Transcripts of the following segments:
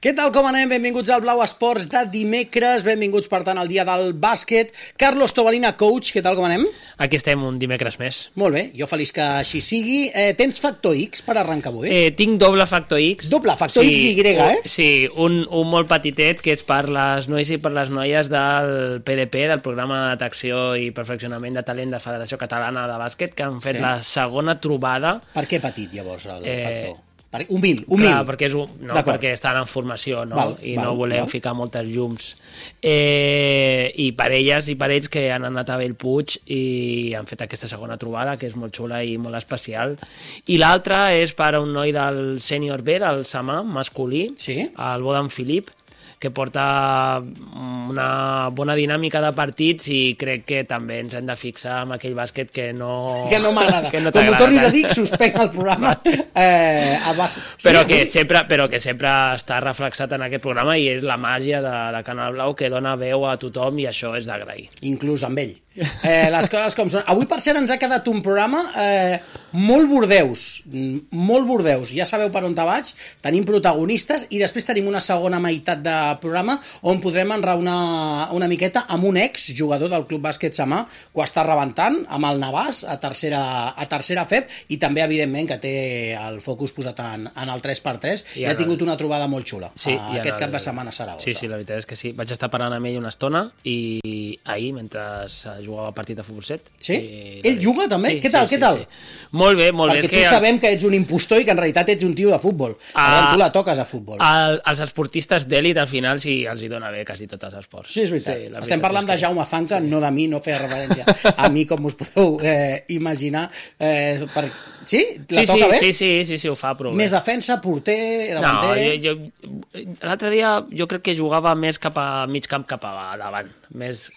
Què tal, com anem? Benvinguts al Blau Esports de dimecres, benvinguts per tant al dia del bàsquet. Carlos Tobalina, coach, què tal, com anem? Aquí estem un dimecres més. Molt bé, jo feliç que així sigui. Tens factor X per arrencar avui? Tinc doble factor X. Doble, factor X i Y, Sí, un molt petitet que és per les nois i per les noies del PDP, del Programa de Detecció i Perfeccionament de Talent de Federació Catalana de Bàsquet, que han fet la segona trobada. Per què petit, llavors, el factor? Humil. Clar, perquè estan en formació, no? No volem ficar moltes llums. I per elles i per ells que han anat a Bellpuig i han fet aquesta segona trobada, que és molt xula i molt especial. I l'altra és per a un noi del sènior B, del Samà, masculí, el Bodan Filip, que porta una bona dinàmica de partits i crec que també ens hem de fixar en aquell bàsquet que no m'agrada. Que no com ho tornis a dir, suspenc el programa. Però que sempre està reflexat en aquest programa i és la màgia de Canal Blau que dona veu a tothom i això és d'agrair. Inclús amb ell. Les coses com són. Avui, per cert, ens ha quedat un programa molt bordeus. Molt bordeus. Ja sabeu per on te vaig. Tenim protagonistes i després tenim una segona meitat de programa on podrem enraonar una miqueta amb un exjugador del Club Bàsquet Samà que ho està rebentant amb el Navàs a tercera FEB i també, evidentment, que té el focus posat en el 3x3 i ha tingut una trobada molt xula aquest cap de setmana a Saragossa. Sí, la veritat és que sí. Vaig estar parlant amb ell una estona i ahir, mentre jugava partit de futbol 7. Sí? Ell juga també? Què tal? Sí. Molt bé. Perquè tu sabem que ets un impostor i que en realitat ets un tio de futbol. Tu la toques a futbol. Els esportistes d'èlit al final sí els hi dona bé quasi tots els esports. Sí, és veritat. Estem parlant de Jaume Zanca, no de mi, no feia referència a mi, com us podeu imaginar. Sí? La toca bé? Sí, ho fa prou bé. Més defensa, porter, davanter... L'altre dia jo crec que jugava més cap a mig camp cap a davant. Més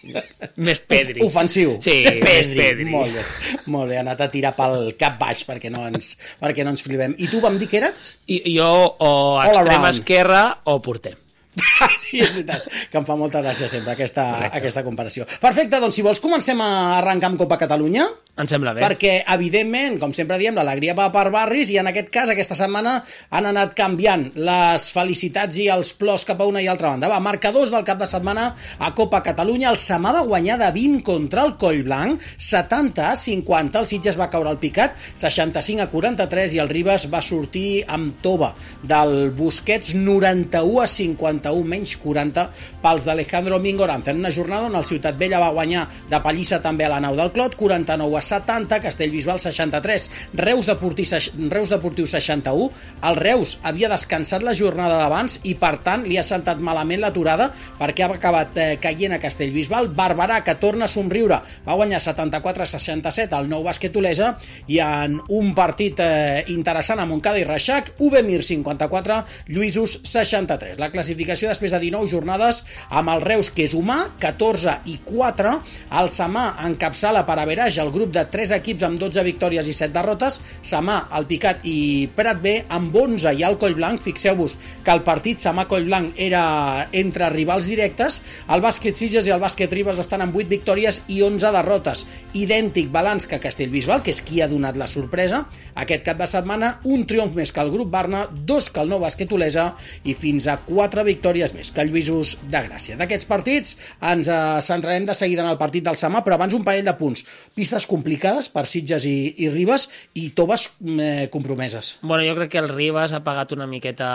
Pedri. Ofensiu. Sí, Pedri. Molt bé, ha anat a tirar pel cap baix perquè no ens flipem. I tu vam dir que eres? Jo o extrema esquerra o porter. Sí, és veritat, que em fa molta gràcia sempre aquesta comparació. Perfecte, doncs si vols comencem a arrencar amb Copa Catalunya. Em sembla bé. Perquè, evidentment, com sempre diem, l'alegria va per barris i en aquest cas, aquesta setmana, han anat canviant les felicitats i els plors cap a una i altra banda. Va, marcadors del cap de setmana a Copa Catalunya. El Samà va guanyar de 20 contra el Collblanc, 70-50. El Sitges va caure al picat, 65-43, i el Ribes va sortir amb tova del Busquets, 91-51, menys 40 pels d'Alejandro Mingorán. En una jornada on el Ciutat Vella va guanyar de pallissa també a la nau del Clot, 49-70, Castellbisbal 63, Reus Deportiu 61. El Reus havia descansat la jornada d'abans i per tant li ha sentat malament l'aturada perquè ha acabat caient a Castellbisbal. Barberà, que torna a somriure, va guanyar 74-67 al Nou Bàsquet Olesa, i en un partit interessant a Montcada i Reixac, Uvemir 54, Lluïsos 63. La classificació després de 19 jornades amb el Reus, que és humà, 14-4. El Samà encapçala per averaix el grup de 3 equips amb 12 victòries i 7 derrotes. Samà, el Picat i Prat B amb 11, i el Collblanc. Fixeu-vos que el partit Samà-Collblanc era entre rivals directes. El Bàsquet Sitges i el Bàsquet Ribes estan amb 8 victòries i 11 derrotes. Idèntic balanç que Castellbisbal, que és qui ha donat la sorpresa aquest cap de setmana. Un triomf més que el grup Barna, 2 que el Nou Bàsquet Olesa i fins a 4 victòries més que el Lluïsos de Gràcia. D'aquests partits ens centrarem de seguida en el partit del Samà, però abans un parell de punts. Pistes complicades per Sitges i Ribes i toves compromeses. Bueno, jo crec que el Ribes ha pagat una miqueta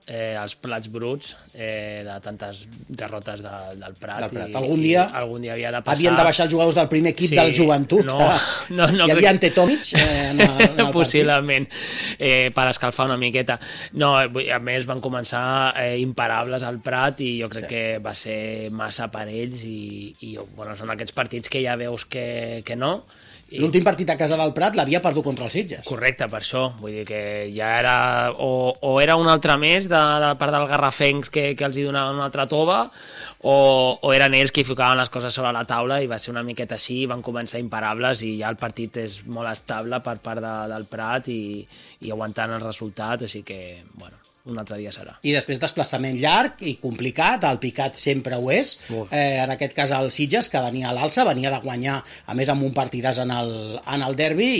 els plats bruts de tantes derrotes del Prat. Algun dia havia de passar. Havien de baixar els jugadors del primer equip del Joventut. Hi havia Antetomic en el possiblement, per escalfar una miqueta. No, a més van començar imparables al Prat i jo crec que va ser massa per ells i són aquests partits que ja veus que no. L'últim partit a casa del Prat l'havia perdut contra els Sitges. Correcte, per això. Vull dir que ja era... O era un altre més de part del Garrafencs que els hi donaven una altra tova, o eren ells que ficaven les coses sobre la taula i va ser una miqueta així, van començar imparables i ja el partit és molt estable per part del Prat i aguantant el resultat, així que, bueno, un altre dia serà. I després desplaçament llarg i complicat, el Picat sempre ho és, en aquest cas el Sitges, que venia a l'alça, venia de guanyar, a més amb un partidàs en el derbi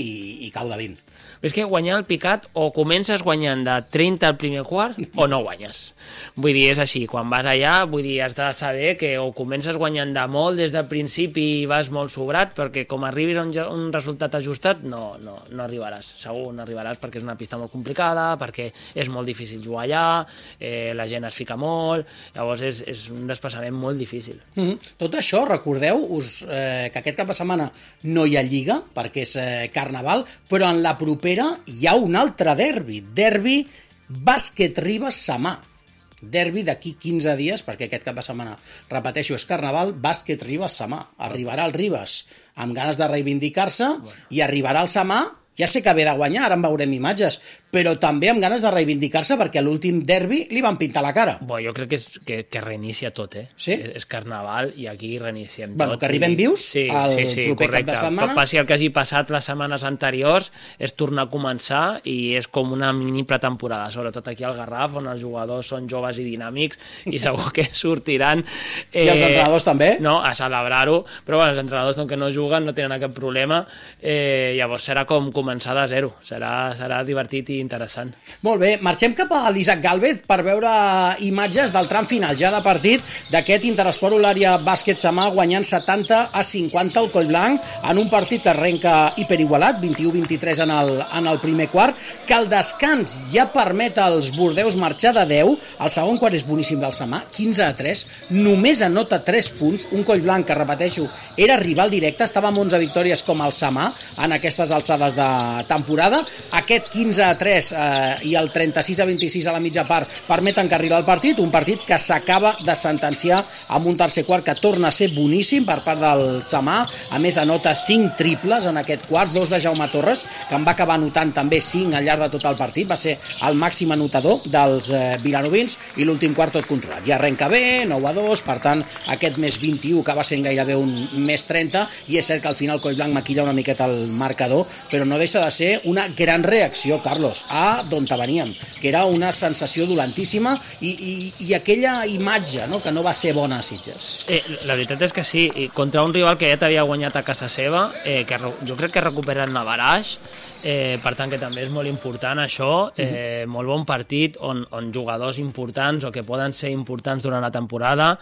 i cau de 20. És que guanyar el Picat o comences guanyant de 30 al primer quart o no guanyes. Vull dir, és així, quan vas allà, vull dir, has de saber que o comences guanyant de molt des del principi i vas molt sobrat, perquè com arribis a un resultat ajustat, no arribaràs, segur no arribaràs, perquè és una pista molt complicada, perquè és molt difícil jugar allà, la gent es fica molt, llavors és un desplaçament molt difícil. Tot això, recordeu-us que aquest cap de setmana no hi ha Lliga, perquè és Carnaval, però en la propera hi ha un altre derbi Bàsquet Ribes-Samà. Derbi d'aquí 15 dies, perquè aquest cap de setmana, repeteixo, és Carnaval, Bàsquet Ribes-Samà. Arribarà el Ribes amb ganes de reivindicar-se i arribarà el Samà, ja sé que ve de guanyar, ara en veurem imatges, però també amb ganes de reivindicar-se perquè a l'últim derbi li van pintar la cara. Jo crec que reinicia tot, Sí? És Carnaval i aquí reiniciem tot. Que arribem vius al proper cap de setmana. Passi el que hagi passat les setmanes anteriors, és tornar a començar i és com una mini pretemporada, sobretot aquí al Garraf, on els jugadors són joves i dinàmics i segur que sortiran... I els entrenadors també? No, a celebrar-ho, però els entrenadors que no juguen no tenen cap problema, llavors serà com començar de zero, serà divertit i interessant. Molt bé, marxem cap a l'Isaac Gálvez per veure imatges del tram final ja de partit d'aquest Interesport Olària Bàsquet Samà guanyant 70-50 al Collblanc en un partit que arrenca hiperigualat, 21-23 en el primer quart, que el descans ja permet als bordeus marxar de 10, el segon quart és boníssim del Samà, 15-3, només anota 3 punts, un Collblanc que, repeteixo, era rival directe, estava amb 11 victòries com el Samà en aquestes alçades de temporada, aquest 15-3 i el 36-26 a la mitja part permeten carrilar el partit, un partit que s'acaba de sentenciar amb un tercer quart que torna a ser boníssim per part del Samà, a més anota 5 triples en aquest quart, 2 de Jaume Torres, que en va acabar anotant també 5 al llarg de tot el partit, va ser el màxim anotador dels vilanovins i l'últim quart tot controlat. Ja arrenca bé, 9-2, per tant aquest més 21 acaba sent gairebé un més 30 i és cert que al final Collblanc maquilla una miqueta el marcador, però no deixa de ser una gran reacció, Carlos, a d'on veníem, que era una sensació dolentíssima i aquella imatge, no?, que no va ser bona a Sitges. La veritat és que sí, contra un rival que ja t'havia guanyat a casa seva, que jo crec que recupera el Navaraix, per tant que també és molt important això, molt bon partit on jugadors importants o que poden ser importants durant la temporada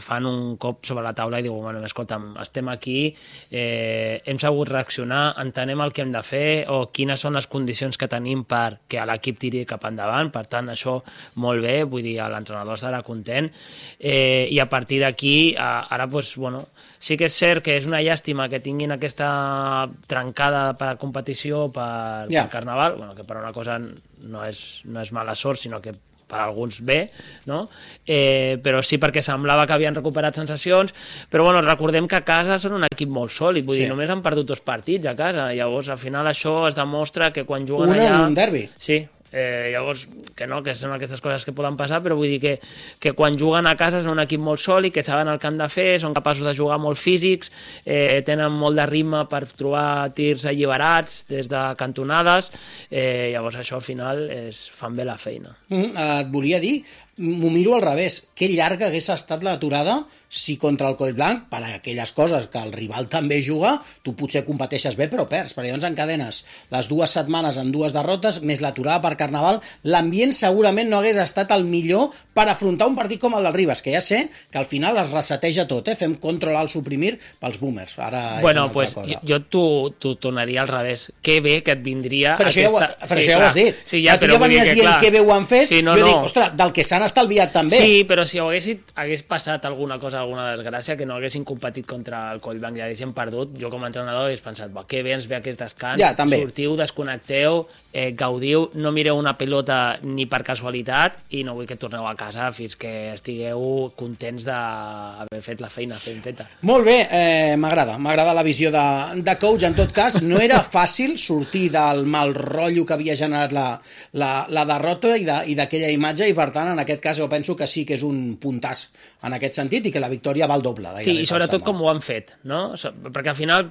fan un cop sobre la taula i diuen, bueno, escolta'm, estem aquí, hem sabut reaccionar, entenem el que hem de fer o quines són les condicions que tenim perquè l'equip tiri cap endavant, per tant això molt bé, vull dir, l'entrenador estarà content i a partir d'aquí ara doncs, bueno, sí que és cert que és una llàstima que tinguin aquesta trencada per competició per Carnaval, bueno, que per una cosa no és mala sort, sinó que per alguns bé, no? Però sí perquè semblava que havien recuperat sensacions, però bueno, recordem que a casa són un equip molt sòlid, vull dir, només han perdut 2 partits a casa, llavors al final això es demostra que quan juguen allà... en un derbi. Sí, llavors que no, que són aquestes coses que poden passar, però vull dir que quan juguen a casa són un equip molt sòlid, que saben el que han de fer, són capaços de jugar molt físics, tenen molt de ritme per trobar tirs alliberats des de cantonades, llavors això al final fan bé la feina. Et volia dir, m'ho miro al revés, que llarga hagués estat l'aturada si contra el Collblanc, per aquelles coses que el rival també juga, tu potser competeixes bé però perds, perquè llavors encadenes les 2 setmanes amb 2 derrotes, més l'aturada per Carnaval, l'ambient segurament no hagués estat el millor per afrontar un partit com el del Ribes, que ja sé que al final es reseteja tot, fem control al suprimir pels boomers, ara és una altra cosa. Jo t'ho tornaria al revés, que bé que et vindria però aquesta... Però això ja ho has dit, sí, ja, tu ja venies dient que bé ho han fet, jo dic, ostres, del que s'han estalviat també. Sí, però si hagués passat alguna cosa, alguna desgràcia, que no haguessin competit contra el Collblanc i haguessin perdut, jo com a entrenador hagués pensat, que bé ens ve aquest descans, sortiu, desconnecteu, gaudiu, no mireu una pilota ni per casualitat i no vull que torneu a casa fins que estigueu contents d'haver fet la feina ben feta. Molt bé, m'agrada la visió de coach. En tot cas, no era fàcil sortir del mal rotllo que havia generat la derrota i d'aquella imatge, i per tant, en aquest aquest cas jo penso que sí que és un puntàs en aquest sentit i que la victòria val doble. Sí, i sobretot com ho han fet, no? Perquè al final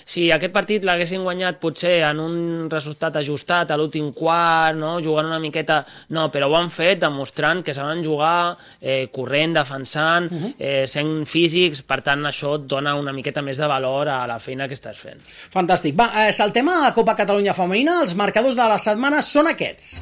si aquest partit l'haguessin guanyat potser en un resultat ajustat a l'últim quart, no? Jugant una miqueta... No, però ho han fet demostrant que saben jugar, corrent, defensant, sent físics, per tant això et dona una miqueta més de valor a la feina que estàs fent. Fantàstic. Va, saltem a la Copa Catalunya Femenina. Els marcadors de la setmana són aquests.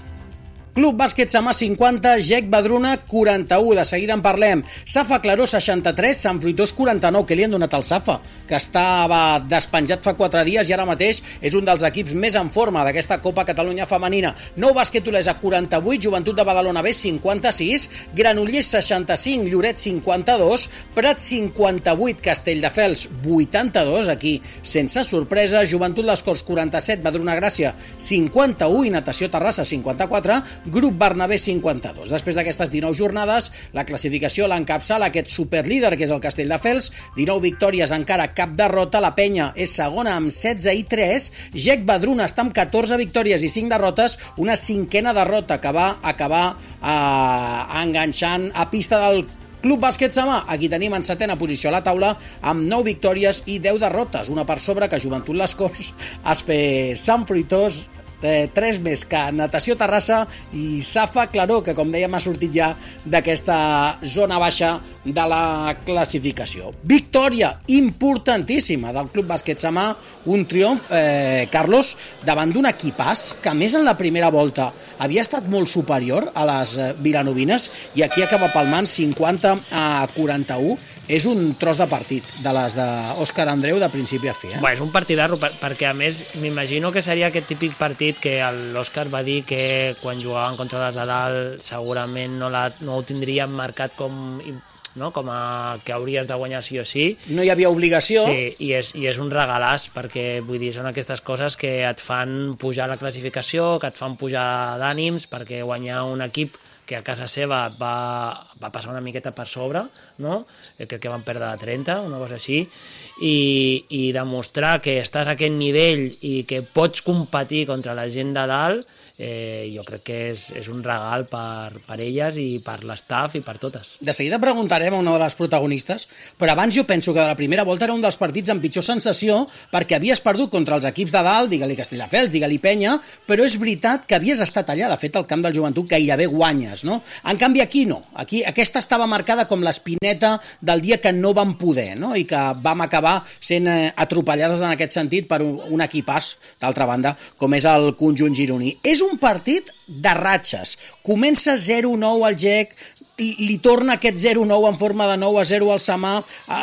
Club Bàsquet Samà 50, GEC Badruna 41, de seguida en parlem. Safa Claró 63, Sant Fruitós 49, que li han donat al Safa, que estava despenjat fa 4 dies i ara mateix és un dels equips més en forma d'aquesta Copa Catalunya Femenina. Nou Bàsquet Olesa 48, Joventut de Badalona B 56, Granollers 65, Lloret 52, Prat 58, Castelldefels 82, aquí sense sorpresa, Joventut Les Corts 47, Badruna Gràcia 51 i Natació Terrassa 54, Grup Bernabé 52. Després d'aquestes 19 jornades, la classificació l'encapçala aquest superlíder que és el Castelldefels, 19 victòries, encara cap derrota, la Penya és segona amb 16 i 3, GEC Badruna està amb 14 victòries i 5 derrotes, una cinquena derrota que va acabar enganxant a pista del Club Bàsquet Samà. Aquí tenim en setena posició a la taula amb 9 victòries i 10 derrotes, una per sobre que Joventut Les Corts, Sant Fruitós, 3 més que Natació Terrassa i Safa Claró, que com dèiem ha sortit ja d'aquesta zona baixa de la classificació. Victòria importantíssima del Club Bàsquet Samà, un triomf, Carlos, davant d'un equipàs que a més en la primera volta havia estat molt superior a les vilanovines i aquí acaba palmant 50-41. És un tros de partit de les d'Òscar Andreu de principi a fi. Bé, és un partidarro perquè a més m'imagino que seria aquest típic partit que l'Òscar va dir que quan jugaven contra les de dalt segurament no ho tindrien marcat com que hauries de guanyar sí o sí. No hi havia obligació. Sí, i és un regalàs, perquè vull dir, són aquestes coses que et fan pujar la classificació, que et fan pujar d'ànims, perquè guanyar un equip que a casa seva va passar una miqueta per sobre, no? Crec que van perdre de 30, una cosa així, i demostrar que estàs a aquest nivell i que pots competir contra la gent de dalt, jo crec que és un regal per elles i per l'estaf i per totes. De seguida preguntarem a una de les protagonistes, però abans jo penso que de la primera volta era un dels partits amb pitjor sensació perquè havies perdut contra els equips de dalt, digue-li Castelldefels, digue-li Penya, però és veritat que havies estat allà, de fet al camp del Joventut gairebé guanyes, no? En canvi aquí no, aquí aquesta estava marcada com l'espineta del dia que no vam poder, no? I que vam acabar sent atropellades en aquest sentit per un equipàs, d'altra banda, com és el conjunt gironí. És un partit de ratxes. Comença 0-9 al GEC, li torna aquest 0-9 en forma de 9-0 al Samà.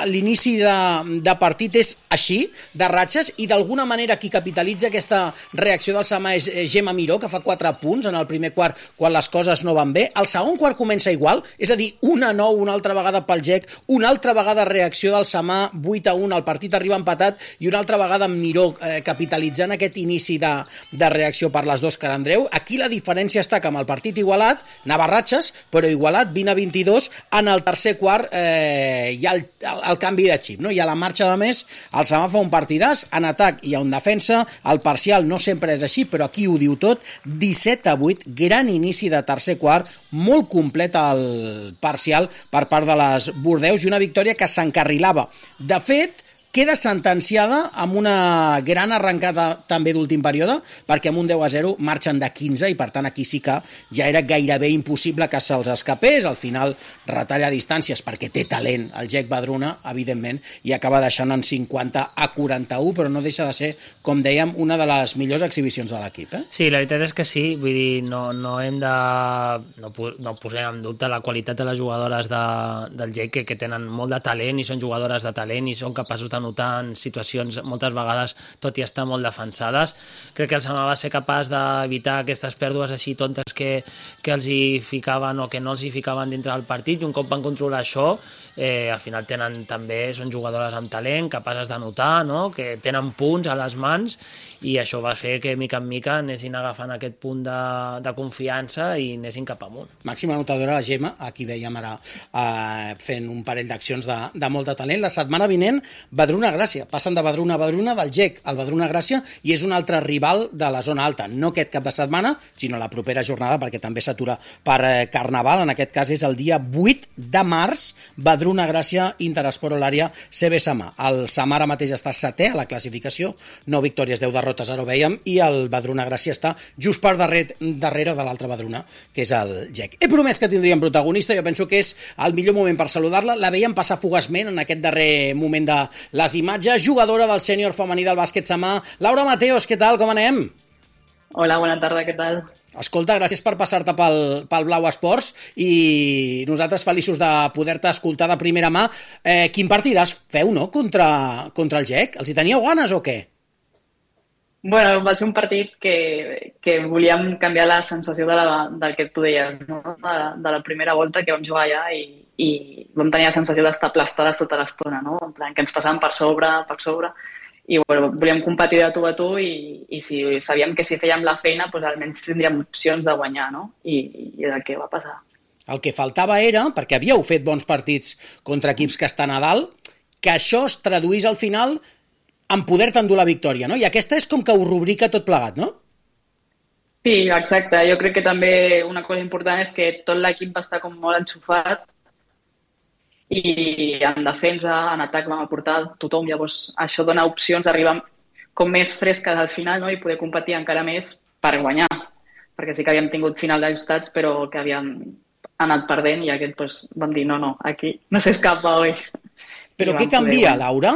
L'inici de partit és així, de ratxes, i d'alguna manera qui capitalitza aquesta reacció del Samà és Gemma Miró, que fa 4 punts en el primer quart quan les coses no van bé. El segon quart comença igual, és a dir, 1-9 una altra vegada pel GEC, una altra vegada reacció del Samà, 8-1, el partit arriba empatat, i una altra vegada amb Miró capitalitzant aquest inici de reacció per les d'Òscar Andreu. Aquí la diferència està que amb el partit igualat, anava ratxes, però igualat, 20-22, en el tercer quart hi ha el canvi de xip, no? Hi ha la marxa de més, el Samà fa un partidàs, en atac i en defensa, el parcial no sempre és així, però aquí ho diu tot, 17-8, gran inici de tercer quart, molt complet el parcial per part de les Bordeus i una victòria que s'encarrilava. De fet, queda sentenciada amb una gran arrencada també d'últim període, perquè amb un 10-0 marxen de 15 i per tant aquí sí que ja era gairebé impossible que se'ls escapés. Al final retalla distàncies perquè té talent el GEC Badruna, evidentment, i acaba deixant en 50-41, però no deixa de ser, com dèiem, una de les millors exhibicions de l'equip. Sí, la veritat és que sí, vull dir, no hem de... No posem en dubte la qualitat de les jugadores del GEC, que tenen molt de talent i són jugadores de talent i són capaços de notar en situacions moltes vegades, tot i estar molt defensades. Crec que el Samà va ser capaç d'evitar aquestes pèrdues així tontes que els hi ficaven o que no els hi ficaven dintre del partit, i un cop van controlar això, al final són jugadores amb talent, capaces de notar, no? Que tenen punts a les mans, i això va fer que mica en mica anessin agafant aquest punt de confiança i anessin cap amunt. Màxima anotadora la Gemma, aquí veiem ara fent un parell d'accions de molt de talent. La setmana vinent, Badruna Vedruna Gràcia. Passen de Vedruna a Vedruna, del GEC al Vedruna Gràcia, i és un altre rival de la zona alta. No aquest cap de setmana, sinó la propera jornada, perquè també s'atura per Carnaval. En aquest cas és el dia 8 de març, Vedruna Gràcia, Interesport Olària, CB Samà. El Samà ara mateix està setè a la classificació, 9 victòries, 10 derrotes, ara ho vèiem, i el Vedruna Gràcia està just per darrere de l'altre Vedruna, que és el GEC. He promès que tindríem protagonista, jo penso que és el millor moment per saludar-la. La veiem passar fugaçment en aquest darrer moment de les imatges. Jugadora del sènior femení del bàsquet Samà, Laura Mateos, què tal, com anem? Hola, bona tarda, què tal? Escolta, gràcies per passar-te pel Blau Esports i nosaltres feliços de poder-te escoltar de primera mà. Quin partidàs feu, no?, contra el GEC? Els hi teníeu ganes o què? Bueno, va ser un partit que volíem canviar la sensació del que tu deies, no? De la primera volta que vam jugar allà i vam tenir la sensació d'estar aplastades tota l'estona, no? En plan, que ens passàvem per sobre, i bueno, volíem competir de tu a tu i sabíem que si fèiem la feina doncs almenys tindríem opcions de guanyar, no? I és el que va passar. El que faltava era, perquè havíeu fet bons partits contra equips que estan a dalt, que això es traduís al final en poder-te endur la victòria, no? I aquesta és com que ho rubrica tot plegat, no? Sí, exacte. Jo crec que també una cosa important és que tot l'equip va estar com molt enxufat i en defensa, en atac vam aportar tothom. Llavors això dona opcions d'arribar com més fresques al final, no? I poder competir encara més per guanyar. Perquè sí que havíem tingut final d'ajustats però que havíem anat perdent i aquest doncs, vam dir no, aquí no s'escapa avui. Però què canvia, Laura?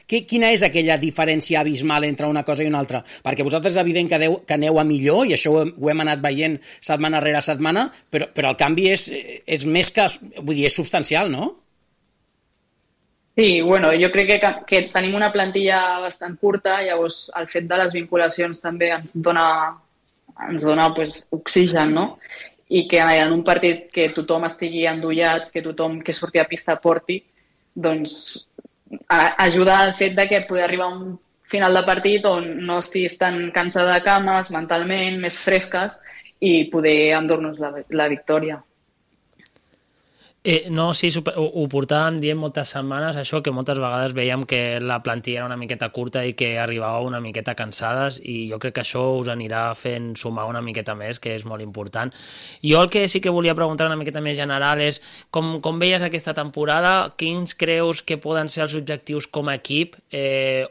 Quina és aquella diferència abismal entre una cosa i una altra? Perquè vosaltres és evident que aneu a millor, i això ho hem anat veient setmana rere setmana, però el canvi és més que... Vull dir, és substancial, no? Sí, bueno, jo crec que tenim una plantilla bastant curta, llavors el fet de les vinculacions també ens dona pues, oxigen, no? I que en un partit que tothom estigui endollat, que tothom que surti a pista porti, doncs ajuda al fet de que poder arribar a un final de partit on no estiguis tan cansada de cames, mentalment, més fresques i poder endur-nos la victòria. No, sí, ho portàvem dient moltes setmanes, això, que moltes vegades veiem que la plantilla era una miqueta curta i que arribava una miqueta cansades, i jo crec que això us anirà fent sumar una miqueta més, que és molt important. Jo el que sí que volia preguntar una miqueta més general és, com veies aquesta temporada, quins creus que poden ser els objectius com a equip,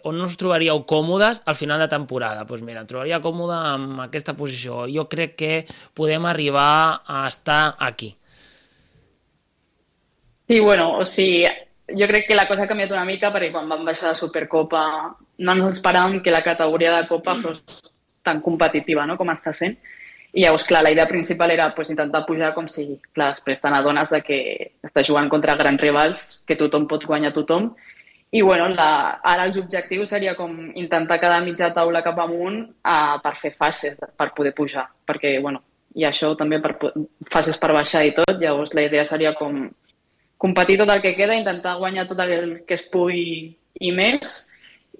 on us trobaríeu còmodes al final de temporada? Doncs mira, em trobaria còmode amb aquesta posició. Jo crec que podem arribar a estar aquí. Sí, bueno, o sigui, jo crec que la cosa ha canviat una mica perquè quan vam baixar de Supercopa no ens esperàvem que la categoria de Copa fos tan competitiva, no?, com està sent. I llavors, clar, la idea principal era pues, intentar pujar com sigui. Clar, després te n'adones que estàs jugant contra grans rivals, que tothom pot guanyar tothom. I bueno, ara els objectius seria com intentar quedar mitja taula cap amunt per fer fases, per poder pujar. Perquè, bueno, i això també fases per baixar i tot, llavors la idea seria com competir tot el que queda, intentar guanyar tot el que es pugui i més,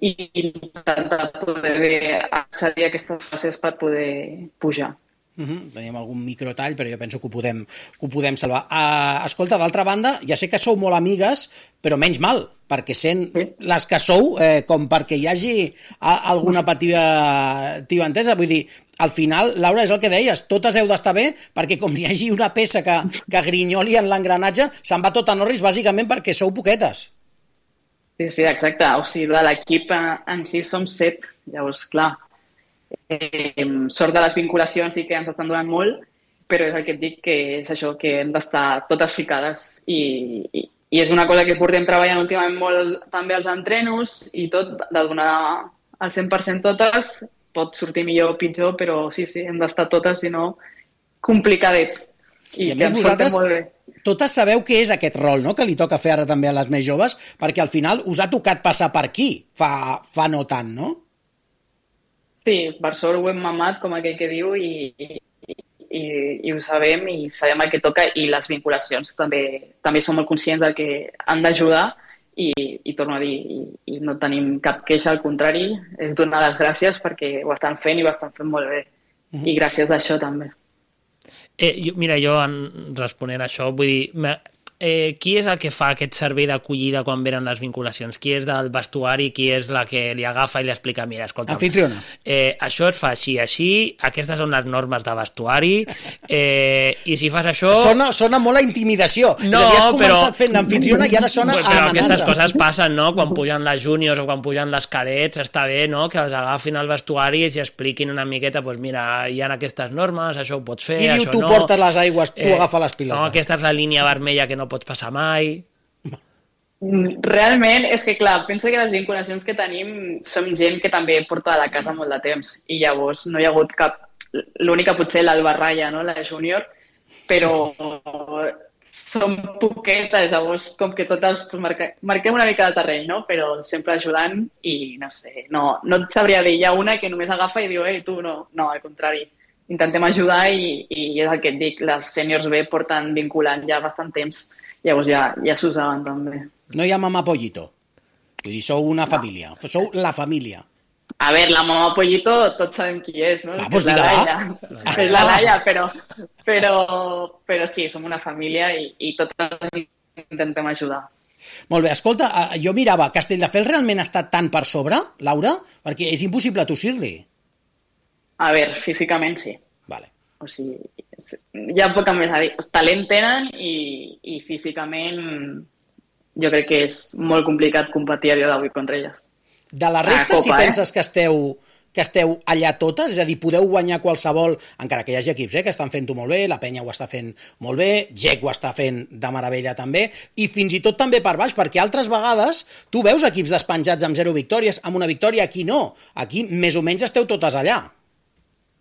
i intentar poder accedir a aquestes fases per poder pujar. Tenim algun microtall, però jo penso que ho podem salvar. Escolta, d'altra banda, ja sé que sou molt amigues, però menys mal, perquè sent les que sou, com perquè hi hagi alguna petita entesa. Vull dir, al final, Laura, és el que deies, totes heu d'estar bé, perquè com hi hagi una peça que grinyoli en l'engranatge, se'n va tot a Norris, bàsicament perquè sou poquetes. Sí, exacte. O sigui, de l'equip en si som 7, llavors, clar, sort de les vinculacions i que ens estan donant molt, però és el que et dic, que és això, que hem d'estar totes ficades i és una cosa que portem treballant últimament molt també als entrenos i tot, de donar al 100% totes, pot sortir millor o pitjor, però sí, hem d'estar totes, si no, complicadet. I a més vosaltres totes sabeu què és aquest rol, no?, que li toca fer ara també a les més joves, perquè al final us ha tocat passar per aquí fa no tant, no? Sí, per sort ho hem mamat, com aquell que diu, i ho sabem, i sabem el que toca, i les vinculacions també som molt conscients del que han d'ajudar, i torno a dir, i no tenim cap queixa, al contrari, és donar les gràcies perquè ho estan fent i ho estan fent molt bé. I gràcies a això també. Mira, jo responent a això, vull dir, qui és el que fa aquest servei d'acollida quan venen les vinculacions? Qui és del vestuari? Qui és la que li agafa i li explica, mira, escolta, anfitriona. Això es fa així, aquestes són les normes de vestuari, i si fas això... Sona molt a intimidació. No, has començat fent d'anfitriona i ara sona a amenaça. Però aquestes coses passen, no? Quan pugen les júniors o quan pugen les cadets, està bé, no?, que els agafin al vestuari i expliquin una miqueta, doncs mira, hi ha aquestes normes, això ho pots fer, qui això diu tu no... portes les aigües, tu agafa les pilotes? No, aquesta és la línia vermella que no pots passar mai. Realment, és que clar, penso que les vinculacions que tenim som gent que també porta a la casa molt de temps i llavors no hi ha hagut cap... L'única potser l'Alba Raya, no?, la júnior, però som poquetes, llavors com que totes marquem una mica de terreny, no?, però sempre ajudant i no sé, no et sabria dir, hi ha una que només agafa i diu, ei, tu no, al contrari. Intentem ajudar i és el que et dic, les sèniors B porten vinculant ja bastant temps, llavors ja s'ho saben també. No hi ha mamà Pollito? Vull dir, sou una família, sou la família. A veure, la mamà Pollito tots sabem qui és, no? Doncs és la Laia. És la Laia, però sí, som una família i totes intentem ajudar. Molt bé, escolta, jo mirava, Castelldefels realment està tan per sobre, Laura? Perquè és impossible tossir-li. A veure, físicament sí. Vale. O sigui, hi ha poc més a dir. Talent tenen i físicament jo crec que és molt complicat competir a dia d'avui contra elles. De la resta, si penses que esteu allà totes, és a dir, podeu guanyar qualsevol, encara que hi hagi equips que estan fent-ho molt bé, la Penya ho està fent molt bé, GEC ho està fent de meravella també, i fins i tot també per baix, perquè altres vegades tu veus equips despenjats amb 0 victòries, amb una victòria, aquí no. Aquí més o menys esteu totes allà.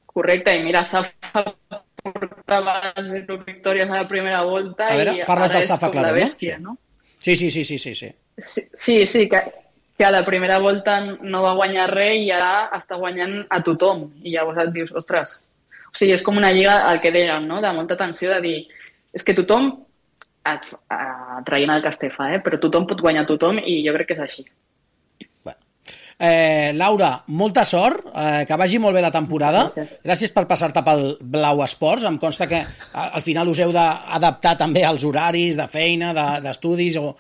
Correcte, i mira, Safa portava 0 victòries a la primera volta. A veure, parles del Safa, clar, no? Sí. Sí, que a la primera volta no va guanyar res i ara està guanyant a tothom. I llavors et dius, ostres, o sigui, és com una lliga, el que dèiem, no?, de molta tensió, de dir, és que tothom, traient el Castefa, però tothom pot guanyar tothom i jo crec que és així. Laura, molta sort, que vagi molt bé la temporada. Gràcies per passar-te pel Blau Esports. Em consta que al final us heu d'adaptar també als horaris de feina, d'estudis o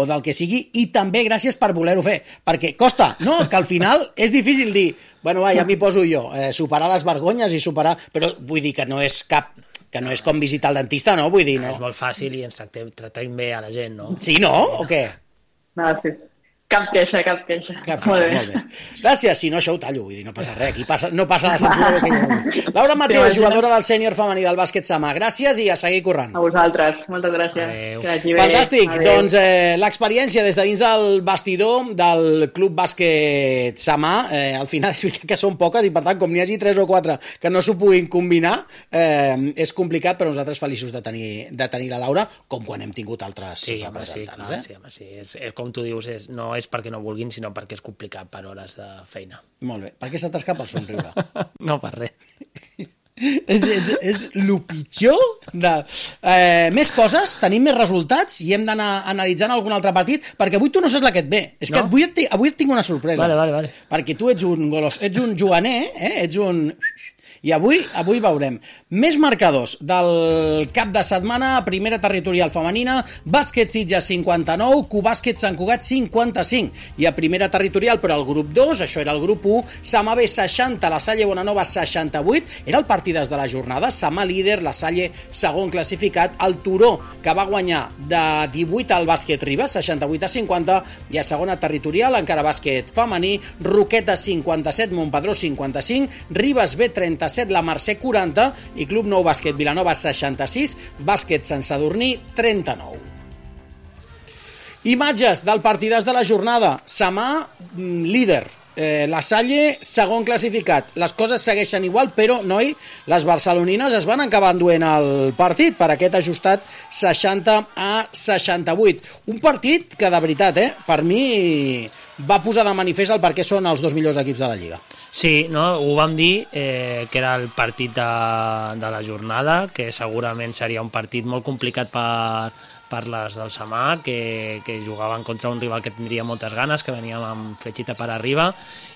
del que sigui, i també gràcies per voler-ho fer, perquè costa, no? Que al final és difícil dir, bueno, ja m'hi poso jo, superar les vergonyes i superar... Però vull dir que no és com visitar el dentista, no? Vull dir, no. És molt fàcil i ens tractem bé a la gent, no? Sí, no? O què? No, sí. Cap queixa. Molt bé. Gràcies, si no això ho tallo, vull dir, no passa res, aquí no passa la censura. Laura Mateo, jugadora del sènior femení del bàsquet Samà, gràcies i a seguir corrent. A vosaltres, moltes gràcies. Fantàstic, doncs l'experiència des de dins el bastidor del Club Bàsquet Samà, al final és veritat que són poques i per tant com n'hi hagi 3 o 4 que no s'ho puguin combinar, és complicat, però nosaltres feliços de tenir la Laura, com quan hem tingut altres representants. Sí, com tu dius, no és perquè no vulguin, sinó perquè és complicat per hores de feina. Molt bé. Per què se t'escapa el somriure? No, per res. És el pitjor de... més coses, tenim més resultats i hem d'anar analitzant algun altre partit, perquè avui tu no saps la que et ve. És que avui et tinc una sorpresa. Vale. Perquè tu ets un golos, ets un joaner, ets un... I avui veurem més marcadors del cap de setmana. Primera territorial femenina, Bàsquet Sitges 59, Cubàsquet Sant Cugat 55. I a primera territorial, però el grup 2, això era el grup 1, Samà B 60, la Salle Bonanova 68. Era el partidàs de la jornada. Samà líder, la Salle segon classificat, el Turó, que va guanyar de 18 al Bàsquet Ribes, 68-50, i a segona territorial, encara bàsquet femení, Roqueta 57, Montpedró 55, Ribes B 37, la Mercè 40 i Club Nou Bàsquet Vilanova 66, Bàsquet Sant Sadurní 39. Imatges del partidàs de la jornada. Samà líder, la Salle segon classificat. Les coses segueixen igual, però, noi, les barcelonines es van acabar enduent el partit per aquest ajustat 60-68. Un partit que, de veritat, per mi va posar de manifest el per què són els 2 millors equips de la Lliga. Sí, no? Ho vam dir, que era el partit de la jornada, que segurament seria un partit molt complicat parles del Samà, que jugaven contra un rival que tindria moltes ganes, que veníem amb fletxita per arriba,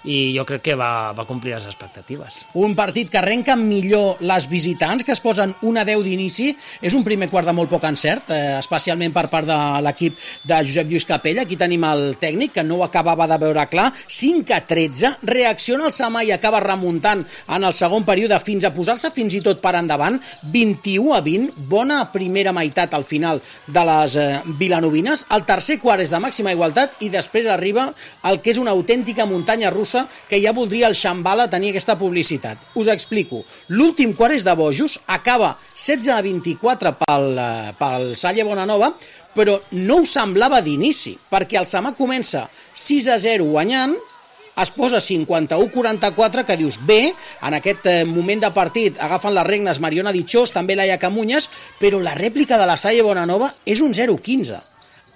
i jo crec que va complir les expectatives. Un partit que arrenca millor les visitants, que es posen 1-10 d'inici. És un primer quart de molt poc encert, especialment per part de l'equip de Josep Lluís Capella. Aquí tenim el tècnic, que no ho acabava de veure clar. 5-13, reacciona el Samà i acaba remuntant en el segon període fins a posar-se fins i tot per endavant. 21-20, bona primera meitat al final de les vilanovines. El tercer quart és de màxima igualtat i després arriba el que és una autèntica muntanya russa, que ja voldria el Xambala tenir aquesta publicitat. Us explico. L'últim quart és de bojos, acaba 16-24 pel Salle Bonanova, però no ho semblava d'inici, perquè el Samà comença 6-0 guanyant, es posa 51-44, que dius, bé, en aquest moment de partit agafen les regnes Mariona Dichós, també Laia Camunyes, però la rèplica de la Salle Bonanova és un 0-15.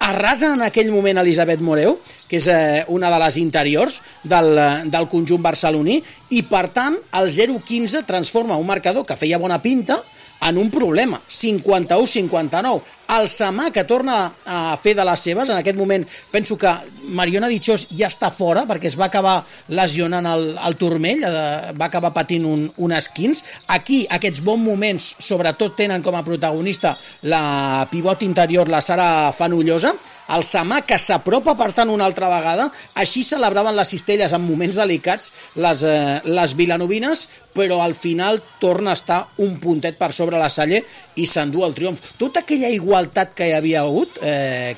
Arrasa en aquell moment Elisabet Moreu, que és una de les interiors del conjunt barceloní, i per tant el 0-15 transforma un marcador que feia bona pinta en un problema, 51-59. El Samà, que torna a fer de les seves, en aquest moment penso que Mariona Dichós ja està fora perquè es va acabar lesionant el turmell, va acabar patint un esquins. Aquí aquests bons moments sobretot tenen com a protagonista la pivot interior, la Sara Fanullosa. El Samà, que s'apropa per tant una altra vegada, així celebraven les cistelles en moments delicats les vilanovines, però al final torna a estar un puntet per sobre la Salle i s'endú el triomf. Tota aquella igualtat que hi havia hagut,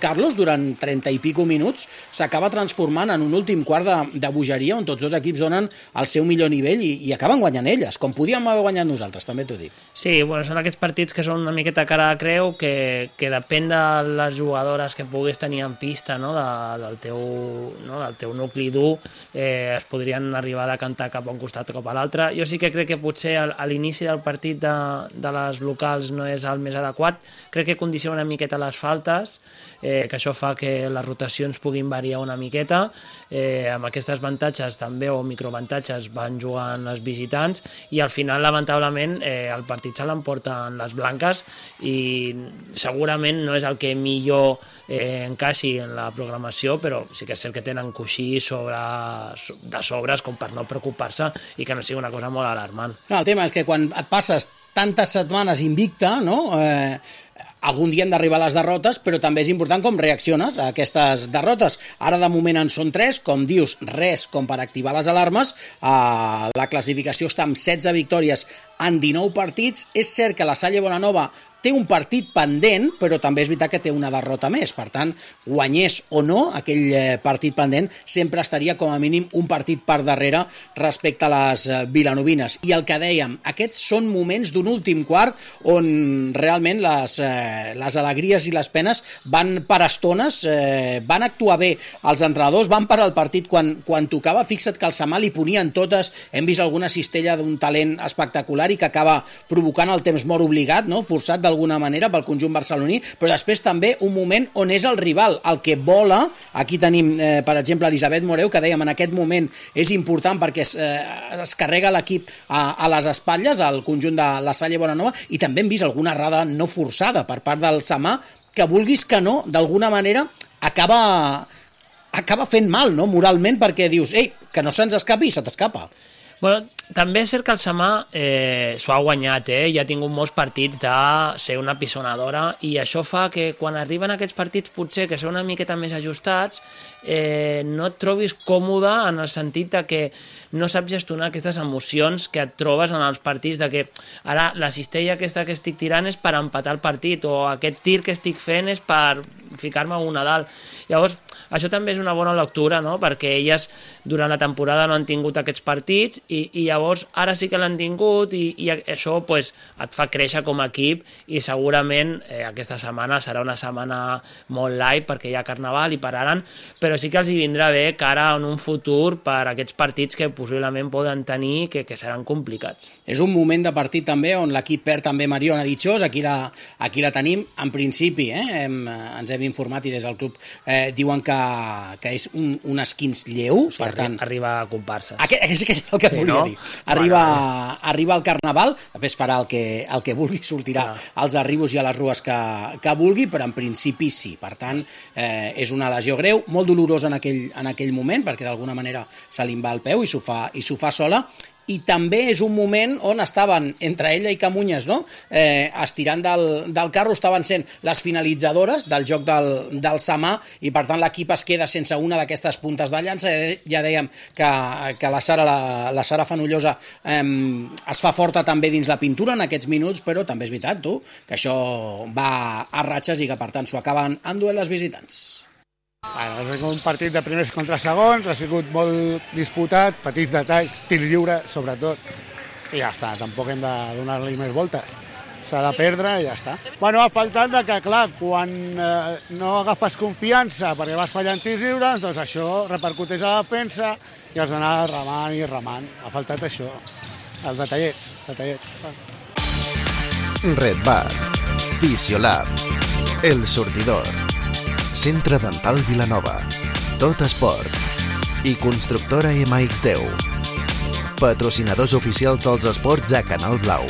Carlos, durant 30 i pico minuts, s'acaba transformant en un últim quart de bogeria on tots dos equips donen el seu millor nivell i acaben guanyant elles, com podíem haver guanyat nosaltres, també t'ho dic. Sí, bueno, són aquests partits que són una miqueta cara de creu, que depèn de les jugadores que puguis tenir en pista, no? del teu nucli dur, es podrien arribar a decantar cap a un costat o cap a l'altre. Jo sí que crec que potser a l'inici del partit de les locals no és el més adequat. Crec que condiciona una miqueta les faltes, que això fa que les rotacions puguin variar una miqueta. Amb aquestes avantatges també, o microavantatges, van jugant les visitants, i al final, lamentablement, el partit se l'emporten les blanques, i segurament no és el que millor encaixi en la programació, però sí que és cert que tenen coixí de sobres com per no preocupar-se i que no sigui una cosa molt alarmant. El tema és que quan et passes tantes setmanes invicta, no? Algun dia han d'arribar les derrotes, però també és important com reacciones a aquestes derrotes. Ara de moment en són 3, com dius, res com per activar les alarmes. La classificació està amb 16 victòries en 19 partits. És cert que la Salle Bonanova té un partit pendent, però també és veritat que té una derrota més. Per tant, guanyés o no aquell partit pendent, sempre estaria com a mínim un partit per darrere respecte a les vilanovines. I el que dèiem, aquests són moments d'un últim quart on realment les alegries i les penes van per estones, van actuar bé els entrenadors, van parar el partit quan tocava. Fixa't que el Samà li ponien totes, hem vist alguna cistella d'un talent espectacular i que acaba provocant el temps mort obligat, no? Forçat d'alguna manera pel conjunt barceloní, però després també un moment on és el rival el que vola. Aquí tenim, per exemple, Elisabet Moreu, que dèiem en aquest moment és important perquè es carrega l'equip a les espatlles, al conjunt de la Salle Bonanova, i també hem vist alguna errada no forçada per part del Samà, que vulguis que no, d'alguna manera acaba fent mal, no? Moralment, perquè dius, ei, que no se'ns escapi i se t'escapa. Bueno, també és cert que el Samà s'ho ha guanyat, i ha tingut molts partits de ser una pisonadora, i això fa que quan arriben aquests partits potser que són una miqueta més ajustats, no et trobis còmode en el sentit de que no saps gestionar aquestes emocions que et trobes en els partits, de que ara la cistella aquesta que estic tirant és per empatar el partit, o aquest tir que estic fent és per ficar-me una dalt. Llavors, això també és una bona lectura, no? Perquè elles durant la temporada no han tingut aquests partits, i llavors ara sí que l'han tingut, i això pues, et fa créixer com a equip, i segurament aquesta setmana serà una setmana molt light perquè hi ha Carnaval i pararan, però sí que els hi vindrà bé cara en un futur per aquests partits que possiblement poden tenir que seran complicats. És un moment de partit també on l'equip perd també Mariona Dichós, aquí la tenim en principi, ens hem hem informat i des del club diuen que és un esquinç lleu, per tant... Arriba a comparses. Aquest és el que et volia dir. Arriba al Carnaval, després farà el que vulgui, sortirà als arribos i a les rues que vulgui, però en principi sí. Per tant, és una lesió greu, molt dolorosa en aquell moment, perquè d'alguna manera se li va al peu i s'ho fa sola, i també és un moment on estaven, entre ella i Camunyes, no? Estirant del carro, estaven sent les finalitzadores del joc del Samà, i per tant l'equip es queda sense una d'aquestes puntes de llança. Ja dèiem que la Sara Fenollosa es fa forta també dins la pintura en aquests minuts, però també és veritat, que això va a ratxes i que per tant s'ho acaben enduent les visitants. Ha sigut un partit de primers contra segons, ha sigut molt disputat, petits detalls, tirs lliures, sobretot, i ja està, tampoc hem de donar-li més voltes. S'ha de perdre i ja està. Bueno, ha faltat que, clar, quan no agafes confiança perquè vas fallant tirs lliures, doncs això repercuteix a la defensa i has d'anar remant i remant. Ha faltat això, els detallets. Red Bar, Fisiolab, El Sortidor, Centre Dental Vilanova, Tot Esport i Constructora MX10. Patrocinadors oficials dels esports a Canal Blau.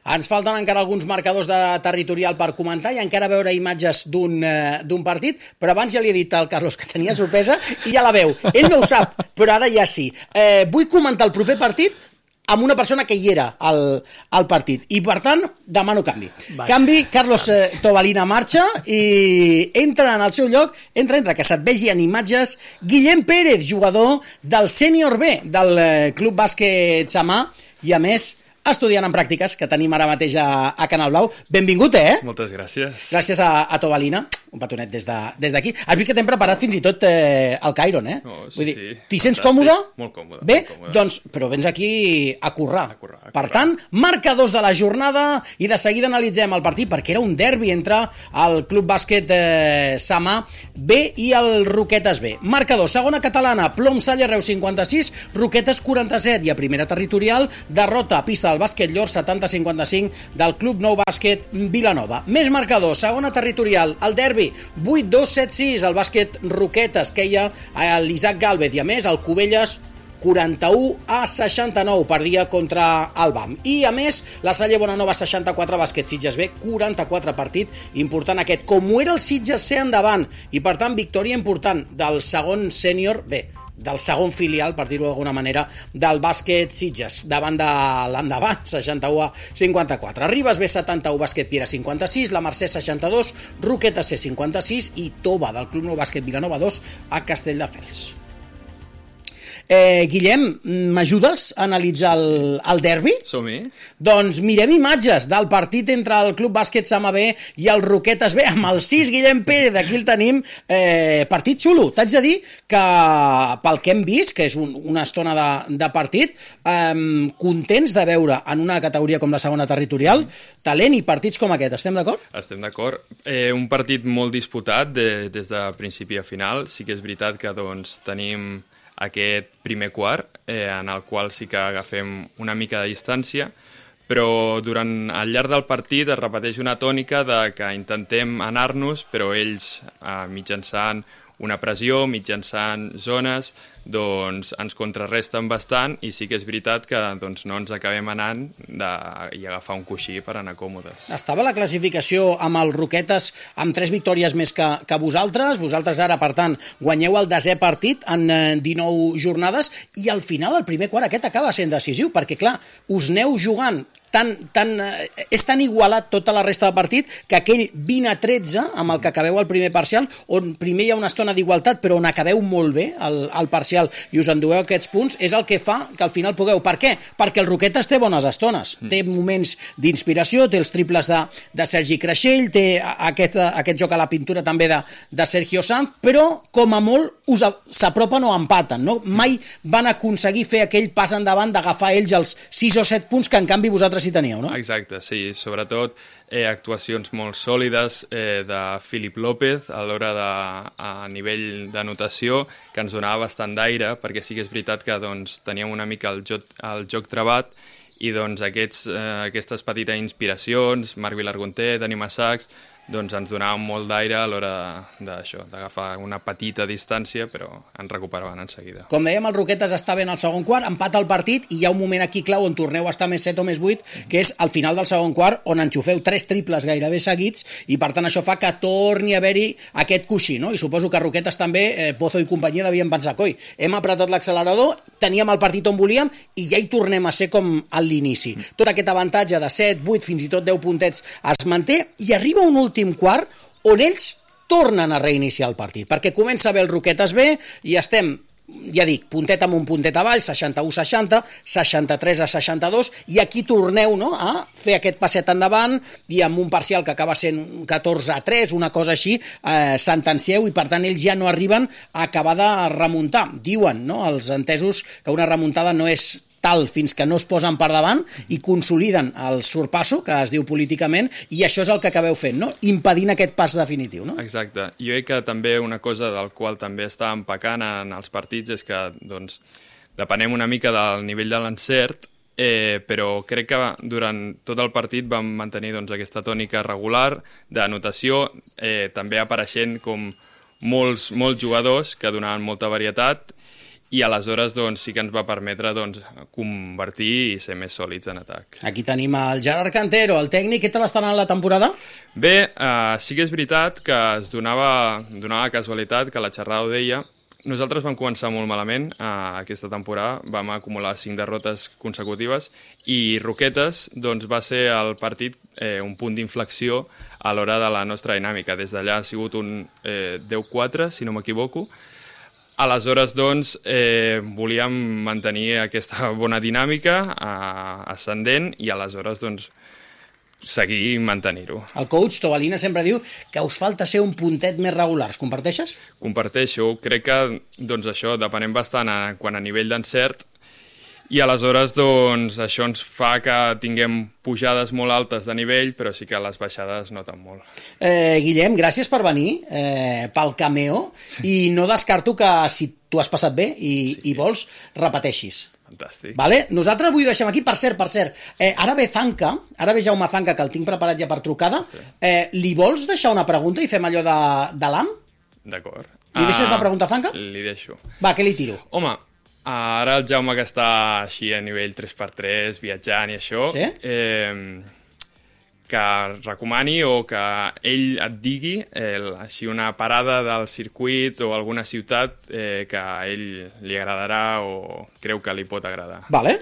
Ens falten encara alguns marcadors de territorial per comentar i encara veure imatges d'un partit, però abans ja li he dit al Carlos que tenia sorpresa i ja la veu. Ell no ho sap, però ara ja sí. Vull comentar el proper partit amb una persona que hi era al partit, i per tant demano canvi. Canvi, Carlos Tobalina marxa i entra en el seu lloc, entra, que se't vegi en imatges, Guillem Pérez, jugador del sènior B del Club Bàsquet Samà, i a més estudiant en pràctiques, que tenim ara mateix a Canal Blau. Benvingut, Moltes gràcies. Gràcies a Tobalina, un petonet des d'aquí. Has vist que t'hem preparat fins i tot el Cairon, No, Vull dir, sí. T'hi sents còmode? Molt còmode. Bé, doncs, però vens aquí a currar. Per tant, marcadors de la jornada, i de seguida analitzem el partit, perquè era un derbi entre el Club Bàsquet Samà B i el Roquetes B. Marcador, segona catalana, Plom Salle Reus 56, Roquetes 47, i a primera territorial, derrota a pista del Bàsquet Llor 70-55 del Club Nou Bàsquet Vilanova. Més marcador, segona territorial, el derbi 8-2-7-6, el Bàsquet Roquetes queia a l'Isaac Gálvez, i a més el Cubelles 41-69 perdia contra el BAM. I a més, la Salle Bonanova 64, Bàsquet Sitges B 44, partit important aquest, com ho era el Sitges C endavant, i per tant victòria important del segon sènior B, del segon filial, per dir-ho d'alguna manera, del Bàsquet Sitges, davant de l'endavant, 61-54. Ribes B 71, Bàsquet Piera 56, la Mercè 62, Roquetes C 56 i Tova del Club Nou Bàsquet Vilanova 2 a Castelldefels. Guillem, m'ajudes a analitzar el derbi? Som-hi. Doncs mirem imatges del partit entre el Club Bàsquet Samà B i el Roquetes B, amb el 6 Guillem Pérez, aquí el tenim. Partit xulo. T'haig de dir que pel que hem vist, que és una estona de partit, contents de veure en una categoria com la segona territorial talent i partits com aquest. Estem d'acord? Estem d'acord. Un partit molt disputat des de principi a final. Sí que és veritat que tenim aquest primer quart, en el qual sí que agafem una mica de distància, però al llarg del partit es repeteix una tònica de que intentem anar-nos, però ells, mitjançant una pressió, mitjançant zones, ens contrarresten bastant, i sí que és veritat que no ens acabem anant i agafar un coixí per anar còmodes. Estava la classificació amb els Roquetes amb 3 victòries més que vosaltres. Vosaltres ara, per tant, guanyeu el 10è partit en 19 jornades, i al final el primer quart aquest acaba sent decisiu, perquè clar, us aneu jugant és tan igualat tota la resta de partit que aquell 20-13 amb el que acabeu el primer parcial, on primer hi ha una estona d'igualtat però on acabeu molt bé el parcial i us endueu aquests punts, és el que fa que al final pugueu. Per què? Perquè el Roquetes té bones estones, té moments d'inspiració, té els triples de Sergi Creixell, té aquest joc a la pintura també de Sergio Sanz, però com a molt s'apropen o empaten, no? Mai van aconseguir fer aquell pas endavant d'agafar ells els 6 o 7 punts que en canvi vosaltres hi teníeu, no? Exacte, sí. Sobretot actuacions molt sòlides de Filip López a l'hora a nivell d'anotació, que ens donava bastant d'aire, perquè sí que és veritat que teníem una mica el joc trabat, i doncs aquestes petites inspiracions, Marc Vilargonter, Dani Massacs, doncs ens donaven molt d'aire a l'hora d'això, d'agafar una petita distància, però ens recuperaven en seguida. Com dèiem, el Roquetes està bé en el segon quart, empata el partit i hi ha un moment aquí clau on torneu a estar més 7 o més 8, que és al final del segon quart, on enxufeu 3 triples gairebé seguits i per tant això fa que torni a haver-hi aquest coixí, no? I suposo que Roquetes també, Pozo i companyia devien pensar, coi, hem apretat l'accelerador, teníem el partit on volíem i ja hi tornem a ser com a l'inici. Tot aquest avantatge de 7, 8, fins i tot 10 puntets es manté i arriba un últim quart on ells tornen a reiniciar el partit, perquè comença bé el Roquetes bé i estem, ja dic, puntet amb un puntet avall, 61-60, 63-62, i aquí torneu, no?, a fer aquest passet endavant i amb un parcial que acaba sent 14-3, una cosa així, sentencieu i per tant ells ja no arriben a acabar de remuntar. Diuen, no?, els entesos que una remuntada no és tal fins que no es posen per davant i consoliden el sorpasso, que es diu políticament, i això és el que acabeu fent, no? Impedint aquest pas definitiu, no? Exacte. Jo crec que també una cosa del qual també estàvem pecant en els partits és que, doncs, depenem una mica del nivell de l'encert, però crec que durant tot el partit vam mantenir doncs, aquesta tònica regular d'anotació, també apareixent com molts jugadors que donaven molta varietat, i aleshores doncs, sí que ens va permetre doncs, convertir i ser més sòlids en atac. Aquí tenim el Gerard Cantero, el tècnic. Què tal està anant la temporada? Bé, sí que és veritat que es donava casualitat que la xerrada ho deia. Nosaltres vam començar molt malament aquesta temporada, vam acumular 5 derrotes consecutives i Roquetes doncs, va ser el partit un punt d'inflexió a l'hora de la nostra dinàmica. Des d'allà ha sigut un 10-4, si no m'equivoco. Aleshores, doncs, volíem mantenir aquesta bona dinàmica ascendent i aleshores, doncs, seguir i mantenir-ho. El coach Tobalina sempre diu que us falta ser un puntet més regulars. Comparteixes? Comparteixo. Crec que, doncs, això depenem bastant quan a nivell d'encert i aleshores, doncs, això ens fa que tinguem pujades molt altes de nivell, però sí que les baixades noten molt. Guillem, gràcies per venir, pel cameo, i no descarto que si tu has passat bé i vols, repeteixis. Fantàstic. Vale? Nosaltres avui ho deixem aquí. Per cert, ara ve Jaume Zanca, que el tinc preparat ja per trucada. Li vols deixar una pregunta i fem allò de l'AM? D'acord. Li deixes una pregunta a Zanca? Li deixo. Va, què li tiro? Home, ara el Jaume que està així a nivell 3x3, viatjant i això, sí? Que recomani o que ell et digui així una parada del circuit o alguna ciutat que a ell li agradarà o creu que li pot agradar. Vale.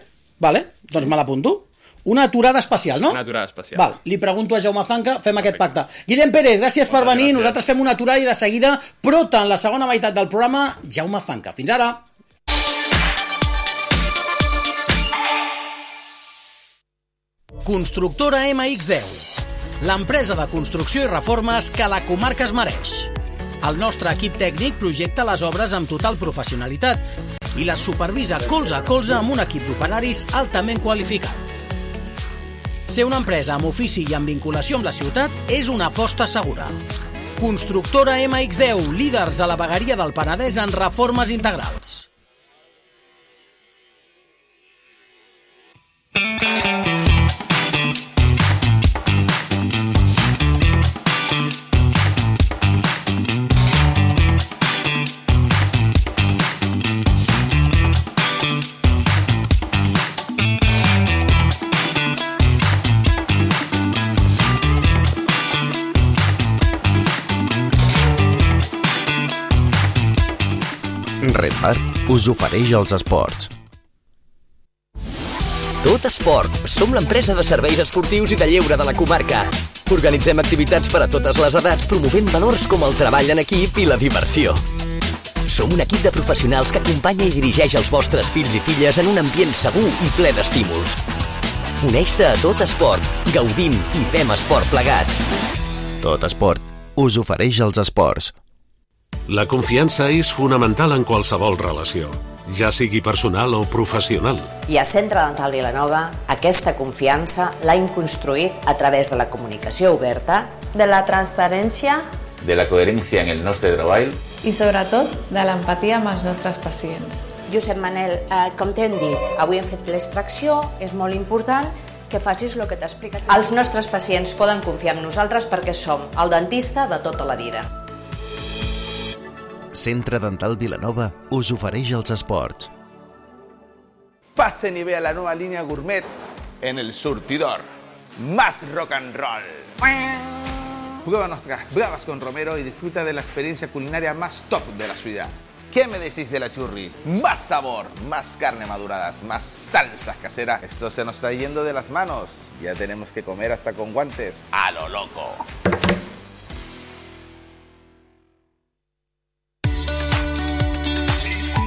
Doncs me l'apunto. Una aturada especial, no? Una aturada especial. Val, li pregunto a Jaume Zanca, fem aquest pacte. Guillem Pérez, gràcies per venir. Gràcies. Nosaltres fem una aturada i de seguida, prota en la segona meitat del programa, Jaume Zanca. Fins ara. Constructora MX10, l'empresa de construcció i reformes que la comarca es mereix. El nostre equip tècnic projecta les obres amb total professionalitat i les supervisa colze a colze amb un equip d'operaris altament qualificat. Ser una empresa amb ofici i amb vinculació amb la ciutat és una aposta segura. Constructora MX10, líders a la vegueria del Penedès en reformes integrals. Red Bar us ofereix els esports. Tot Esport. Som l'empresa de serveis esportius i de lleure de la comarca. Organitzem activitats per a totes les edats, promovent valors com el treball en equip i la diversió. Som un equip de professionals que acompanya i dirigeix els vostres fills i filles en un ambient segur i ple d'estímuls. Uneix-te a Tot Esport. Gaudim i fem esport plegats. Tot Esport us ofereix els esports. La confiança és fonamental en qualsevol relació, ja sigui personal o professional. I a Centre Dental Vilanova aquesta confiança l'hem construït a través de la comunicació oberta, de la transparència, de la coherència en el nostre treball i sobretot de l'empatia amb els nostres pacients. Josep Manel, com t'hem dit, avui hem fet l'extracció, és molt important que facis el que t'ha explicat. Els nostres pacients poden confiar en nosaltres perquè som el dentista de tota la vida. Centre Dental Vilanova us ofereix els esports. Pasen y vea la nueva línea gourmet en El Surtidor. Más rock and roll. Prueba nuestras bravas con Romero y disfruta de la experiencia culinaria más top de la ciudad. ¿Qué me decís de la churri? Más sabor, más carne maduradas, más salsas caseras. Esto se nos está yendo de las manos. Ya tenemos que comer hasta con guantes. A lo loco.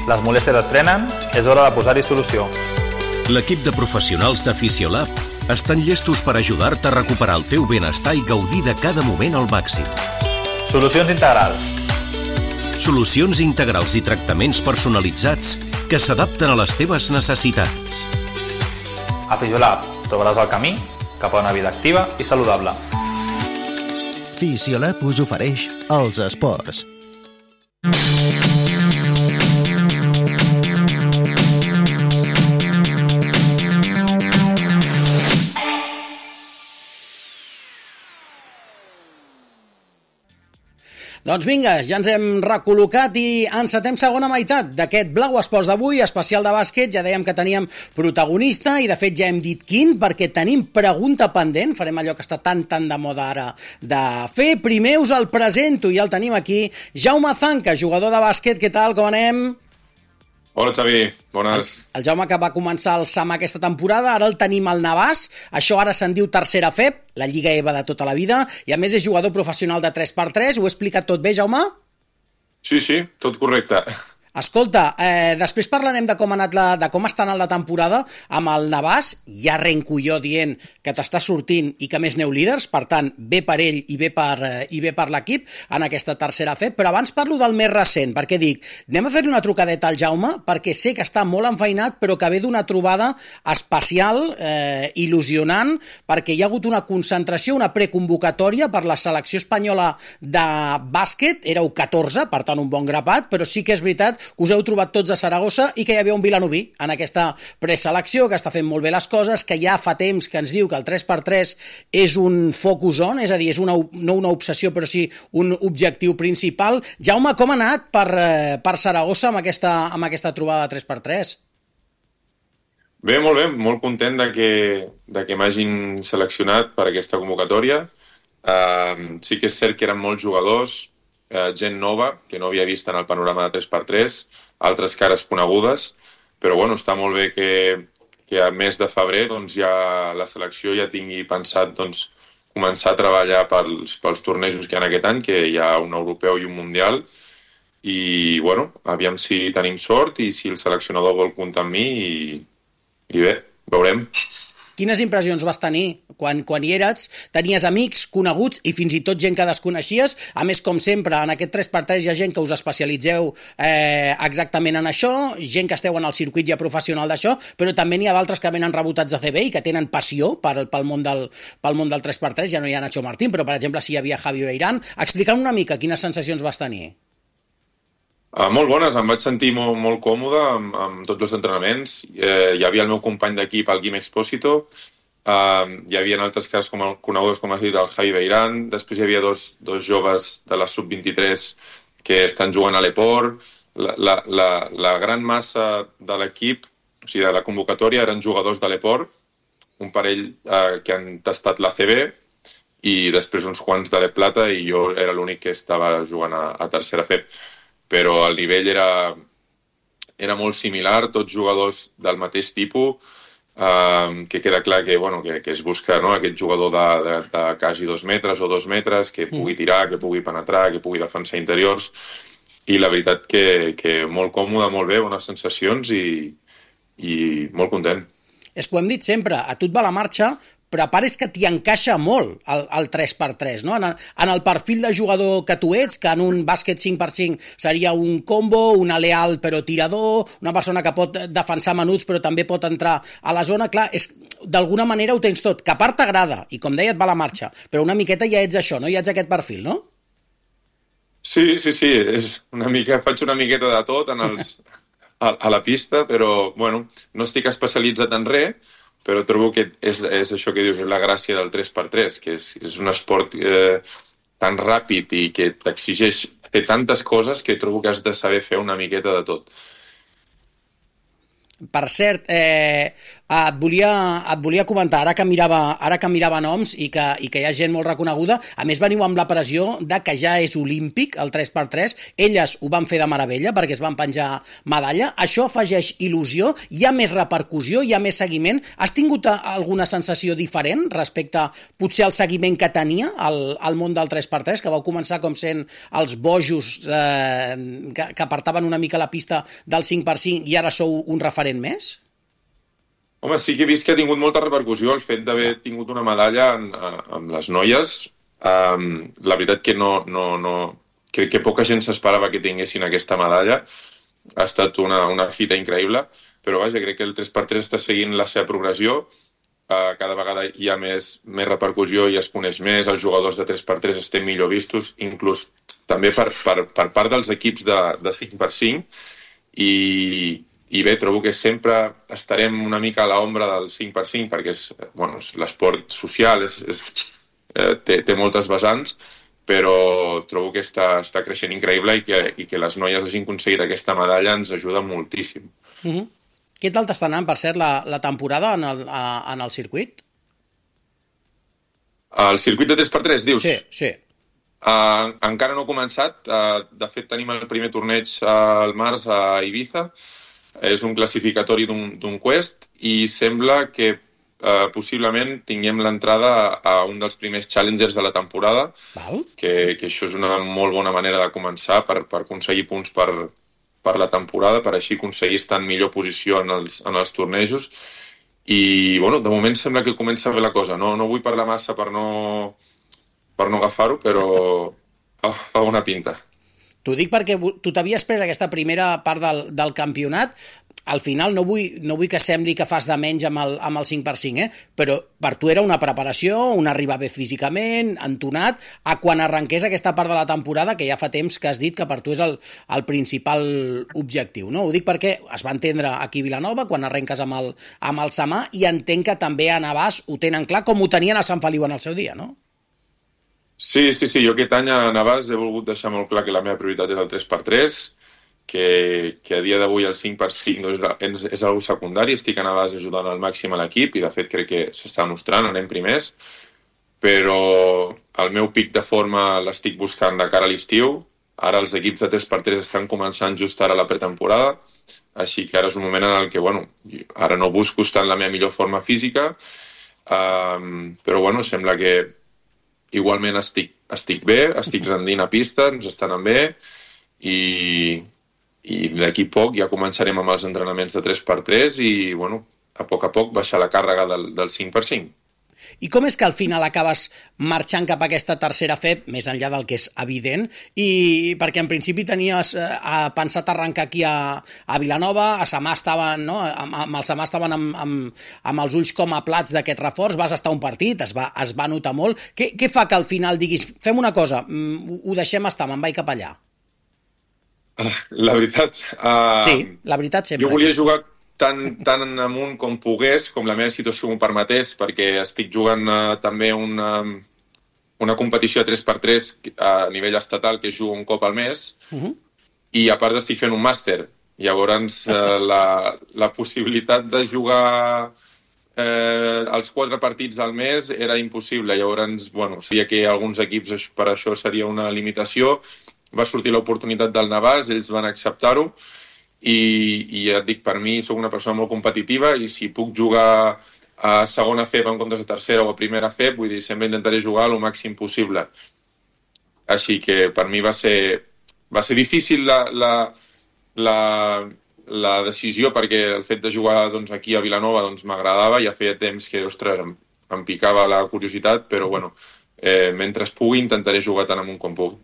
Les molèsties es frenen, és hora de posar-hi solució. L'equip de professionals de Fisiolab estan llestos per ajudar-te a recuperar el teu benestar i gaudir de cada moment al màxim. Solucions integrals. Solucions integrals i tractaments personalitzats que s'adapten a les teves necessitats. A Fisiolab trobaràs el camí cap a una vida activa i saludable. Fisiolab us ofereix els esports. Doncs vinga, ja ens hem recol·locat i encetem segona meitat d'aquest Blau Esports d'avui, especial de bàsquet. Ja dèiem que teníem protagonista i de fet ja hem dit quin, perquè tenim pregunta pendent. Farem allò que està tan de moda ara de fer. Primer us el presento i ja el tenim aquí. Jaume Zanca, jugador de bàsquet. Què tal, com anem? Hola, Xavi. Bones. El Jaume que va començar el SAM aquesta temporada, ara el tenim al Navàs. Això ara se'n diu tercera FEP, la Lliga EVA de tota la vida, i a més és jugador professional de 3x3. Ho he explicat tot bé, Jaume? Sí, tot correcte. Escolta, després parlarem de com està anant la temporada amb el Navàs. Ja arrenco jo dient que t'està sortint i que més neu líders, per tant, bé per ell i bé per l'equip en aquesta tercera FEP, però abans parlo del més recent, perquè dic, anem a fer una trucadeta al Jaume, perquè sé que està molt enfeinat, però que ve d'una trobada especial, il·lusionant, perquè hi ha hagut una concentració, una preconvocatòria per la selecció espanyola de bàsquet, éreu 14, per tant un bon grapat, però sí que és veritat que us heu trobat tots a Saragossa i que hi havia un vilanoví en aquesta preselecció, que està fent molt bé les coses, que ja fa temps que ens diu que el 3x3 és un focus on, és a dir, és no una obsessió, però sí un objectiu principal. Jaume, com ha anat per Saragossa amb aquesta trobada de 3x3? Bé, molt content de que m'hagin seleccionat per aquesta convocatòria. Sí que és cert que eren molts jugadors, gent nova, que no havia vist en el panorama de 3x3, altres cares conegudes, però bueno, està molt bé que a mes de febrer doncs, ja la selecció ja tingui pensat doncs, començar a treballar pels tornejos que hi ha aquest any, que hi ha un europeu i un mundial, i bueno, aviam si tenim sort i si el seleccionador vol comptar amb mi i bé, veurem. Quines impressions vas tenir quan hi eres? Tenies amics, coneguts i fins i tot gent que desconeixies? A més, com sempre, en aquest 3x3 hi ha gent que us especialitzeu exactament en això, gent que esteu en el circuit ja professional d'això, però també n'hi ha d'altres que venen rebotats de CB i que tenen passió pel món del 3x3. Ja no hi ha Nacho Martín, però per exemple sí hi havia Javi Beirán. Explica'm una mica quines sensacions vas tenir. Molt bones, em vaig sentir molt còmode amb tots els entrenaments. Hi havia el meu company d'equip, el Guim Expósito, hi havia altres casos coneguts, com has dit, el Javi Beirán, després hi havia dos joves de la sub-23 que estan jugant a l'Eport. La gran massa de l'equip, o sigui, de la convocatòria, eren jugadors de l'Eport, un parell que han tastat la CB, i després uns quants de l'Eplata, i jo era l'únic que estava jugant a tercera FEP. Però el nivell era molt similar, tots jugadors del mateix tipus, que queda clar que es busca, no, aquest jugador de quasi 2 metres o 2 metres, que pugui tirar, que pugui penetrar, que pugui defensar interiors, i la veritat que molt còmode, molt bé, bones sensacions i molt content. És que ho hem dit sempre, a tu et va la marxa, però a part és que t'hi encaixa molt el 3x3, no? En el perfil de jugador que tu ets, que en un bàsquet 5x5 seria un combo, un aleal però tirador, una persona que pot defensar menuts però també pot entrar a la zona, clar, d'alguna manera ho tens tot, que a part t'agrada, i com deia et va la marxa, però una miqueta ja ets això, no? Ja ets aquest perfil, no? Sí, és una mica, faig una miqueta de tot en a la pista, però, bueno, no estic especialitzat en res, però trobo que és això que dius, la gràcia del 3x3, que és un esport tan ràpid i que t'exigeix fer tantes coses que trobo que has de saber fer una miqueta de tot. Per cert, et volia comentar, ara que mirava noms i que hi ha gent molt reconeguda, a més veniu amb la pressió de que ja és olímpic el 3x3, elles ho van fer de meravella perquè es van penjar medalla, això afegeix il·lusió, hi ha més repercussió, hi ha més seguiment. Has tingut alguna sensació diferent respecte potser al seguiment que tenia al món del 3x3, que vau començar com sent els bojos que apartaven una mica la pista del 5x5 i ara sou un referent més? Home, sí que he vist que ha tingut molta repercussió el fet d'haver tingut una medalla amb les noies. La veritat que crec que poca gent s'esperava que tinguessin aquesta medalla. Ha estat una fita increïble, però vaja, crec que el 3x3 està seguint la seva progressió. Cada vegada hi ha més repercussió i es coneix més, els jugadors de 3x3 estem millor vistos, inclús també per part dels equips de 5x5, i bé, trobo que sempre estarem una mica a l'ombra del 5x5 perquè és l'esport social, té moltes vessants, però trobo que està creixent increïble i que les noies hagin aconseguit aquesta medalla ens ajuda moltíssim. Què tal t'està anant, per cert, la temporada en el circuit? El circuit de 3x3, dius? Sí. Encara no ha començat. De fet, tenim el primer torneig al març a Ibiza. És un classificatori d'un Quest i sembla que possiblement tinguem l'entrada a un dels primers challengers de la temporada, que això és una molt bona manera de començar per aconseguir punts per la temporada, per així aconseguir estar en millor posició en els tornejos. I, bueno, de moment sembla que comença bé la cosa. No vull parlar massa per no agafar-ho, però fa bona pinta. T'ho dic perquè tu t'havies pres aquesta primera part del campionat. Al final no vull que sembli que fas de menys amb el 5x5, però per tu era una preparació, un arribar bé físicament, entonat, a quan arrenqués aquesta part de la temporada, que ja fa temps que has dit que per tu és el principal objectiu, no? Ho dic perquè es va entendre aquí a Vilanova, quan arrenques amb el Samà, i entenc que també a Navàs ho tenen clar, com ho tenien a Sant Feliu en el seu dia, no? Sí, jo aquest any a Navàs he volgut deixar molt clar que la meva prioritat és el 3x3, que a dia d'avui el 5x5 és algo secundari. Estic a Navàs ajudant al màxim a l'equip i de fet crec que s'està mostrant, anem primers, però el meu pic de forma l'estic buscant de cara a l'estiu. Ara els equips de 3x3 estan començant just ara la pretemporada, així que ara és un moment en el que, ara no busco estar en la meva millor forma física, però sembla que igualment estic bé, estic rendint a pista, ens estan anant bé i d'aquí poc ja començarem amb els entrenaments de 3x3 i, a poc baixar la càrrega del 5x5. I com és que al final acabes marxant cap a aquesta tercera FEP, més enllà del que és evident, i perquè en principi tenies pensat arrencar aquí a Vilanova, a Samà estaven, no? Amb el Samà estaven amb els ulls com a plats d'aquest reforç, vas estar un partit, es va notar molt. Què fa que al final diguis, fem una cosa, ho deixem estar, me'n vaig cap allà? La veritat... Sí, la veritat sempre. Jo volia jugar tan amunt com pogués, com la meva situació m'ho permetés, perquè estic jugant també una competició de 3x3 a nivell estatal que jugo un cop al mes, i a part estic fent un màster. Llavors la possibilitat de jugar els 4 partits al mes era impossible. Llavors, sabia que alguns equips per això seria una limitació. Va sortir l'oportunitat del Navàs, ells van acceptar-ho, i ja et dic, per mi soc una persona molt competitiva i si puc jugar a segona FEP en comptes de tercera o a primera FEP, vull dir, sempre intentaré jugar el màxim possible. Així que per mi va ser difícil la decisió, perquè el fet de jugar aquí a Vilanova m'agradava, ja feia temps que, ostres, em picava la curiositat, però mentre pugui intentaré jugar tant amunt com puc.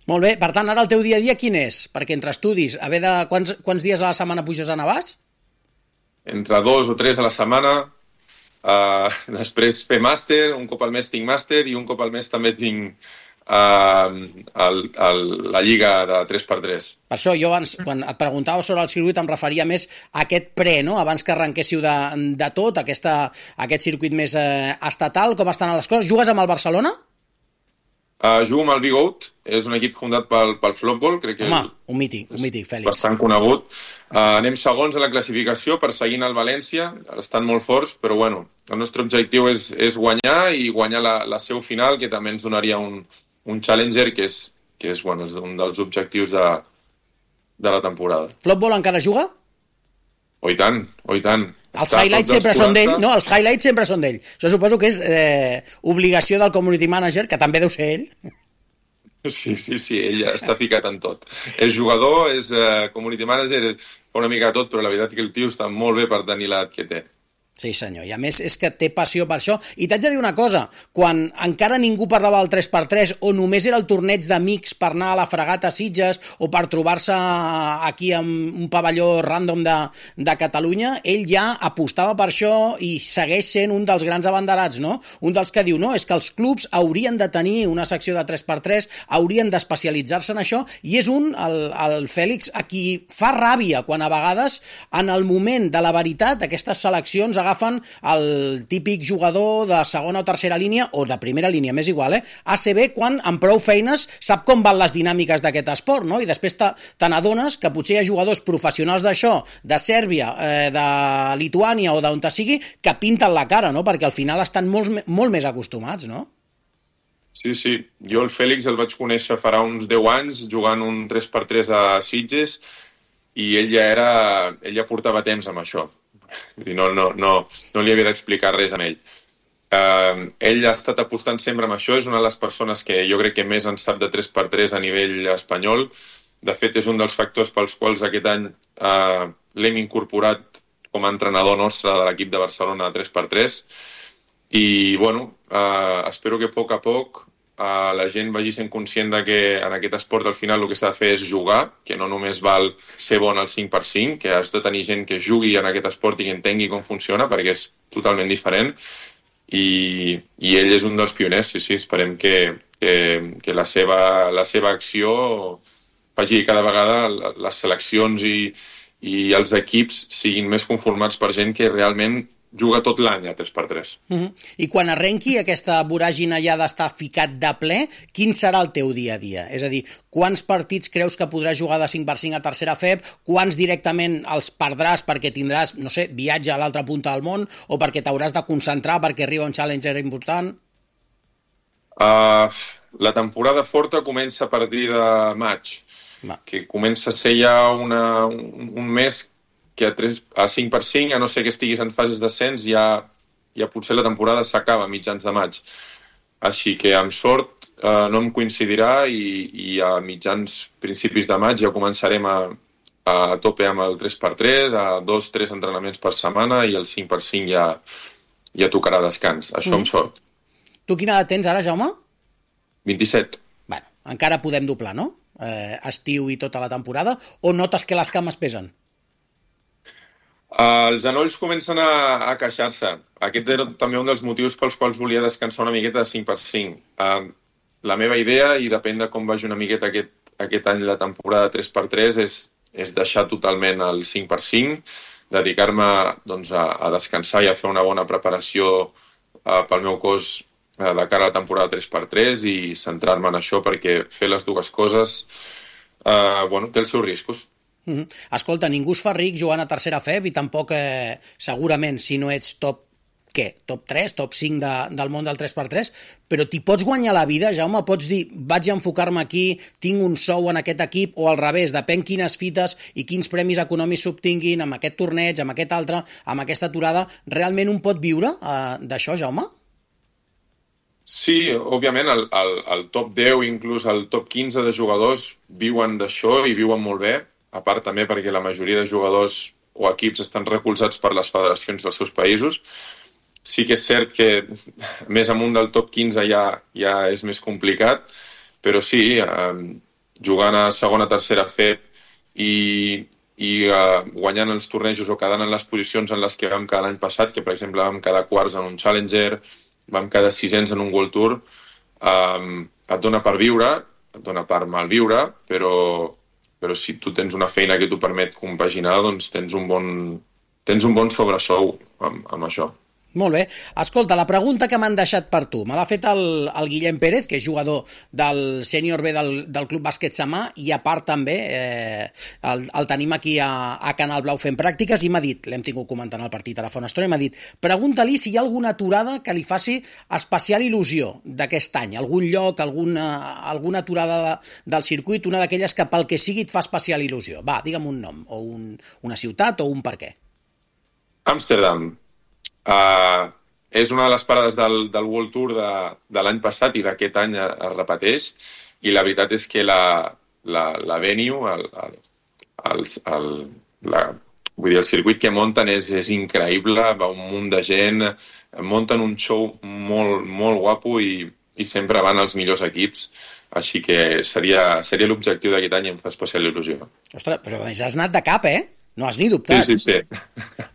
Molt bé, per tant, ara el teu dia a dia quin és? Perquè entre estudis, quants dies a la setmana puges a Navàs? Entre 2 o 3 a la setmana, després fer màster, un cop al mes tinc màster i un cop al mes també tinc la lliga de 3x3. Per això jo abans, quan et preguntava sobre el circuit, em referia més a aquest pre, no? Abans que arrenquéssiu de tot, aquest circuit més estatal, com estan les coses. Jugues amb el Barcelona? Jugo amb el Big Out, és un equip fundat pel Flopball, crec que un mític, Fèlix. Bastant conegut. Anem segons a la classificació, perseguint el València, estan molt forts, però bueno, el nostre objectiu és guanyar i guanyar la seu final, que també ens donaria un Challenger, que és un dels objectius de la temporada. Flopball encara juga? Oh, i tant. Els highlights sempre són d'ell. No, els highlights sempre són d'ell. Això suposo que és obligació del community manager, que també deu ser ell. Sí, ell està ficat en tot. És jugador, és community manager, fa una mica de tot, però la veritat és que el tio està molt bé per tenir l'edat que té. Sí, senyor, i a més és que té passió per això. I t'haig de dir una cosa, quan encara ningú parlava del 3x3 o només era el torneig d'amics per anar a la fregata a Sitges o per trobar-se aquí en un pavelló random de Catalunya, ell ja apostava per això i segueix sent un dels grans abanderats, no? Un dels que diu, no, és que els clubs haurien de tenir una secció de 3x3, haurien d'especialitzar-se en això, i és el Fèlix, a qui fa ràbia quan a vegades, en el moment de la veritat, aquestes seleccions agafen el típic jugador de segona o tercera línia, o de primera línia, m'és igual, ACB, quan amb prou feines sap com van les dinàmiques d'aquest esport, no? I després te n'adones que potser hi ha jugadors professionals d'això, de Sèrbia, de Lituània o d'on te sigui, que pinten la cara, no? Perquè al final estan molt més acostumats, no? Sí. Jo el Fèlix el vaig conèixer farà uns 10 anys jugant un 3x3 a Sitges i ell ja portava temps amb això. No li havia d'explicar res a ell. Ell ha estat apostant sempre amb això, és una de les persones que jo crec que més en sap de 3x3 a nivell espanyol. De fet, és un dels factors pels quals aquest any l'hem incorporat com a entrenador nostre de l'equip de Barcelona de 3x3. I, bueno, espero que a poc la gent vagi sent conscient de que en aquest esport al final el que s'ha de fer és jugar, que no només val ser bon al 5x5, que has de tenir gent que jugui en aquest esport i que entengui com funciona, perquè és totalment diferent, i ell és un dels pioners, sí, esperem que la seva acció faci cada vegada les seleccions i els equips siguin més conformats per gent que realment juga tot l'any a 3x3. I quan arrenqui aquesta voràgina ja d'estar ficat de ple, quin serà el teu dia a dia? És a dir, quants partits creus que podràs jugar de 5x5 a tercera FEB? Quants directament els perdràs perquè tindràs, no sé, viatge a l'altra punta del món o perquè t'hauràs de concentrar perquè arriba un challenger important? La temporada forta comença a partir de maig, que comença a ser ja un mes que a 5x5, a no ser que estiguis en fases d'ascens, ja potser la temporada s'acaba a mitjans de maig. Així que, amb sort, no em coincidirà i a principis de maig ja començarem a tope amb el 3x3, a 2-3 entrenaments per setmana i el 5x5 ja tocarà descans. Això amb sort. Tu quina edat tens ara, Jaume? 27. Bueno, encara podem doblar, no? Estiu i tota la temporada, o notes que les cames pesen? Els genolls comencen a queixar-se. Aquest era també un dels motius pels quals volia descansar una miqueta de 5x5. La meva idea, i depèn de com vagi una miqueta aquest any la temporada 3x3, és deixar totalment el 5x5, dedicar-me a descansar i a fer una bona preparació pel meu cos de cara a la temporada 3x3 i centrar-me en això, perquè fer les dues coses té els seus riscos. Escolta, ningú es fa ric jugant a tercera FEB i tampoc, segurament, si no ets top 3, top 5 del món del 3x3, però t'hi pots guanyar la vida, Jaume? Pots dir, vaig a enfocar-me aquí, tinc un sou en aquest equip, o al revés, depèn quines fites i quins premis econòmics s'obtinguin amb aquest torneig, amb aquest altre, amb aquesta aturada, realment un pot viure d'això, Jaume? Sí, òbviament, el top 10, inclús el top 15 de jugadors viuen d'això i viuen molt bé, a part també perquè la majoria de jugadors o equips estan recolzats per les federacions dels seus països. Sí que és cert que més amunt del top 15 ja és més complicat, però sí, jugant a segona, tercera FEB i guanyant els tornejos o quedant en les posicions en les que vam quedar l'any passat, que per exemple vam quedar quarts en un Challenger, vam quedar sisens en un World Tour, et dona per viure, et dona per malviure, però si tu tens una feina que t'ho permet compaginar, doncs tens un bon sobresou amb això. Molt bé. Escolta, la pregunta que m'han deixat per tu me l'ha fet el Guillem Pérez, que és jugador del sènior B del Club Bàsquet Samà, i a part també el tenim aquí a Canal Blau fent pràctiques, i m'ha dit, l'hem tingut comentant el partit a la Fona Estona, i m'ha dit, pregunta-li si hi ha alguna aturada que li faci especial il·lusió d'aquest any, algun lloc, alguna aturada del circuit, una d'aquelles que pel que sigui et fa especial il·lusió. Va, digue'm un nom, o una ciutat, o un per què. Amsterdam. És una de les parades del World Tour de l'any passat i d'aquest any es repeteix, i la veritat és que la venue, el circuit que munten és increïble, va un munt de gent, munten un show molt, molt guapo i sempre van els millors equips, així que seria l'objectiu d'aquest any i em fa especial il·lusió. Ostres, però has anat de cap, No has ni dubtat. Sí.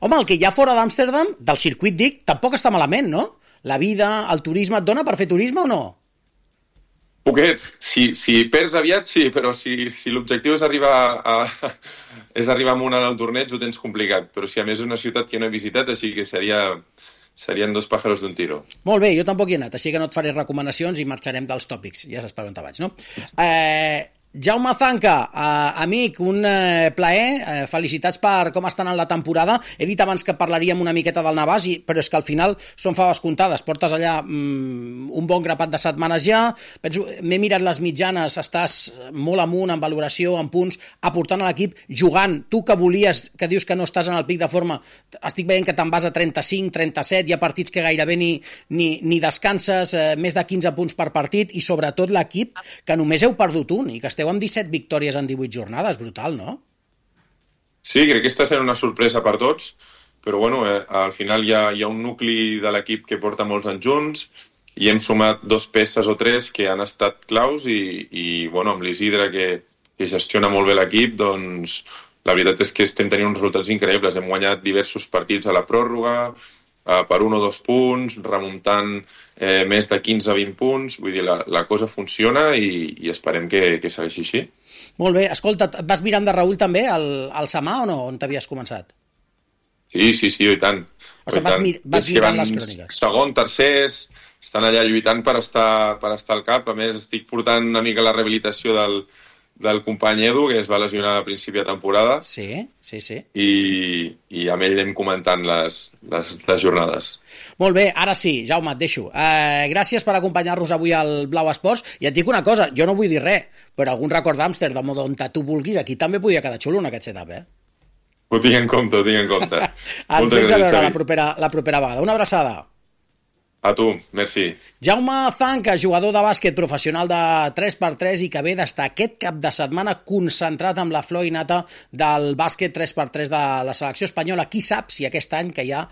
Home, el que hi ha fora d'Amsterdam, del circuit dic, tampoc està malament, no? La vida, el turisme, et dona per fer turisme o no? Poquet. Si perds aviat, sí, però si l'objectiu és arribar amunt en el torneig, ho tens complicat. Però si a més és una ciutat que no he visitat, així que serien dos pájaros d'un tiro. Molt bé, jo tampoc hi he anat, així que no et faré recomanacions i marxarem dels tòpics. Ja saps per on te vaig, no? Jaume Zanca, amic, un plaer, felicitats per com estan en la temporada. He dit abans que parlaríem una miqueta del Navàs, però és que al final són faves comptades, portes allà un bon grapat de setmanes ja. Penso, m'he mirat les mitjanes, estàs molt amunt en valoració, en punts, aportant a l'equip, jugant. Tu que volies, que dius que no estàs en el pic de forma, estic veient que te'n vas a 35, 37, hi ha partits que gairebé ni descanses, més de 15 punts per partit, i sobretot l'equip, que només heu perdut un, i que esteu amb 17 victòries en 18 jornades, brutal, no? Sí, crec que està sent una sorpresa per tots, però bueno, al final hi ha un nucli de l'equip que porta molts anys junts, i hem sumat 2 peces o 3 que han estat claus, i bueno, amb l'Isidre, que gestiona molt bé l'equip, doncs la veritat és que estem tenint uns resultats increïbles. Hem guanyat diversos partits a la pròrroga, per 1 o 2 punts, remuntant més de 15 a 20 punts. Vull dir, la cosa funciona i esperem que segueixi així. Molt bé. Escolta, vas mirant de Raül també al Samà o no? On t'havies començat? Sí, i tant. O sigui, vas mirant les cròniques. Segon, tercers, estan allà lluitant per estar al cap. A més, estic portant una mica la rehabilitació del company Edu, que es va lesionar a principi de temporada. Sí. I amb ell anem comentant les jornades. Molt bé, ara sí, Jaume, et deixo. Gràcies per acompanyar-nos avui al Blau Esports, i et dic una cosa, jo no vull dir res, però algun record d'Amsterdam o d'on tu vulguis, aquí també podia quedar xulo en aquest setup, Ho tinc en compte. Ens vens a veure la propera vegada. Una abraçada. A tu, merci. Jaume Zanca, jugador de bàsquet professional de 3x3 i que ve d'estar aquest cap de setmana concentrat amb la flor innata del bàsquet 3x3 de la selecció espanyola. Qui sap si aquest any que hi ha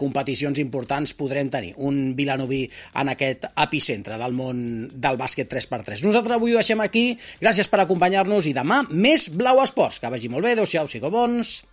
competicions importants podrem tenir un vilanoví en aquest epicentre del món del bàsquet 3x3. Nosaltres avui ho deixem aquí. Gràcies per acompanyar-nos i demà més Blau Esports. Que vagi molt bé. Adéu-siau, sigueu bons.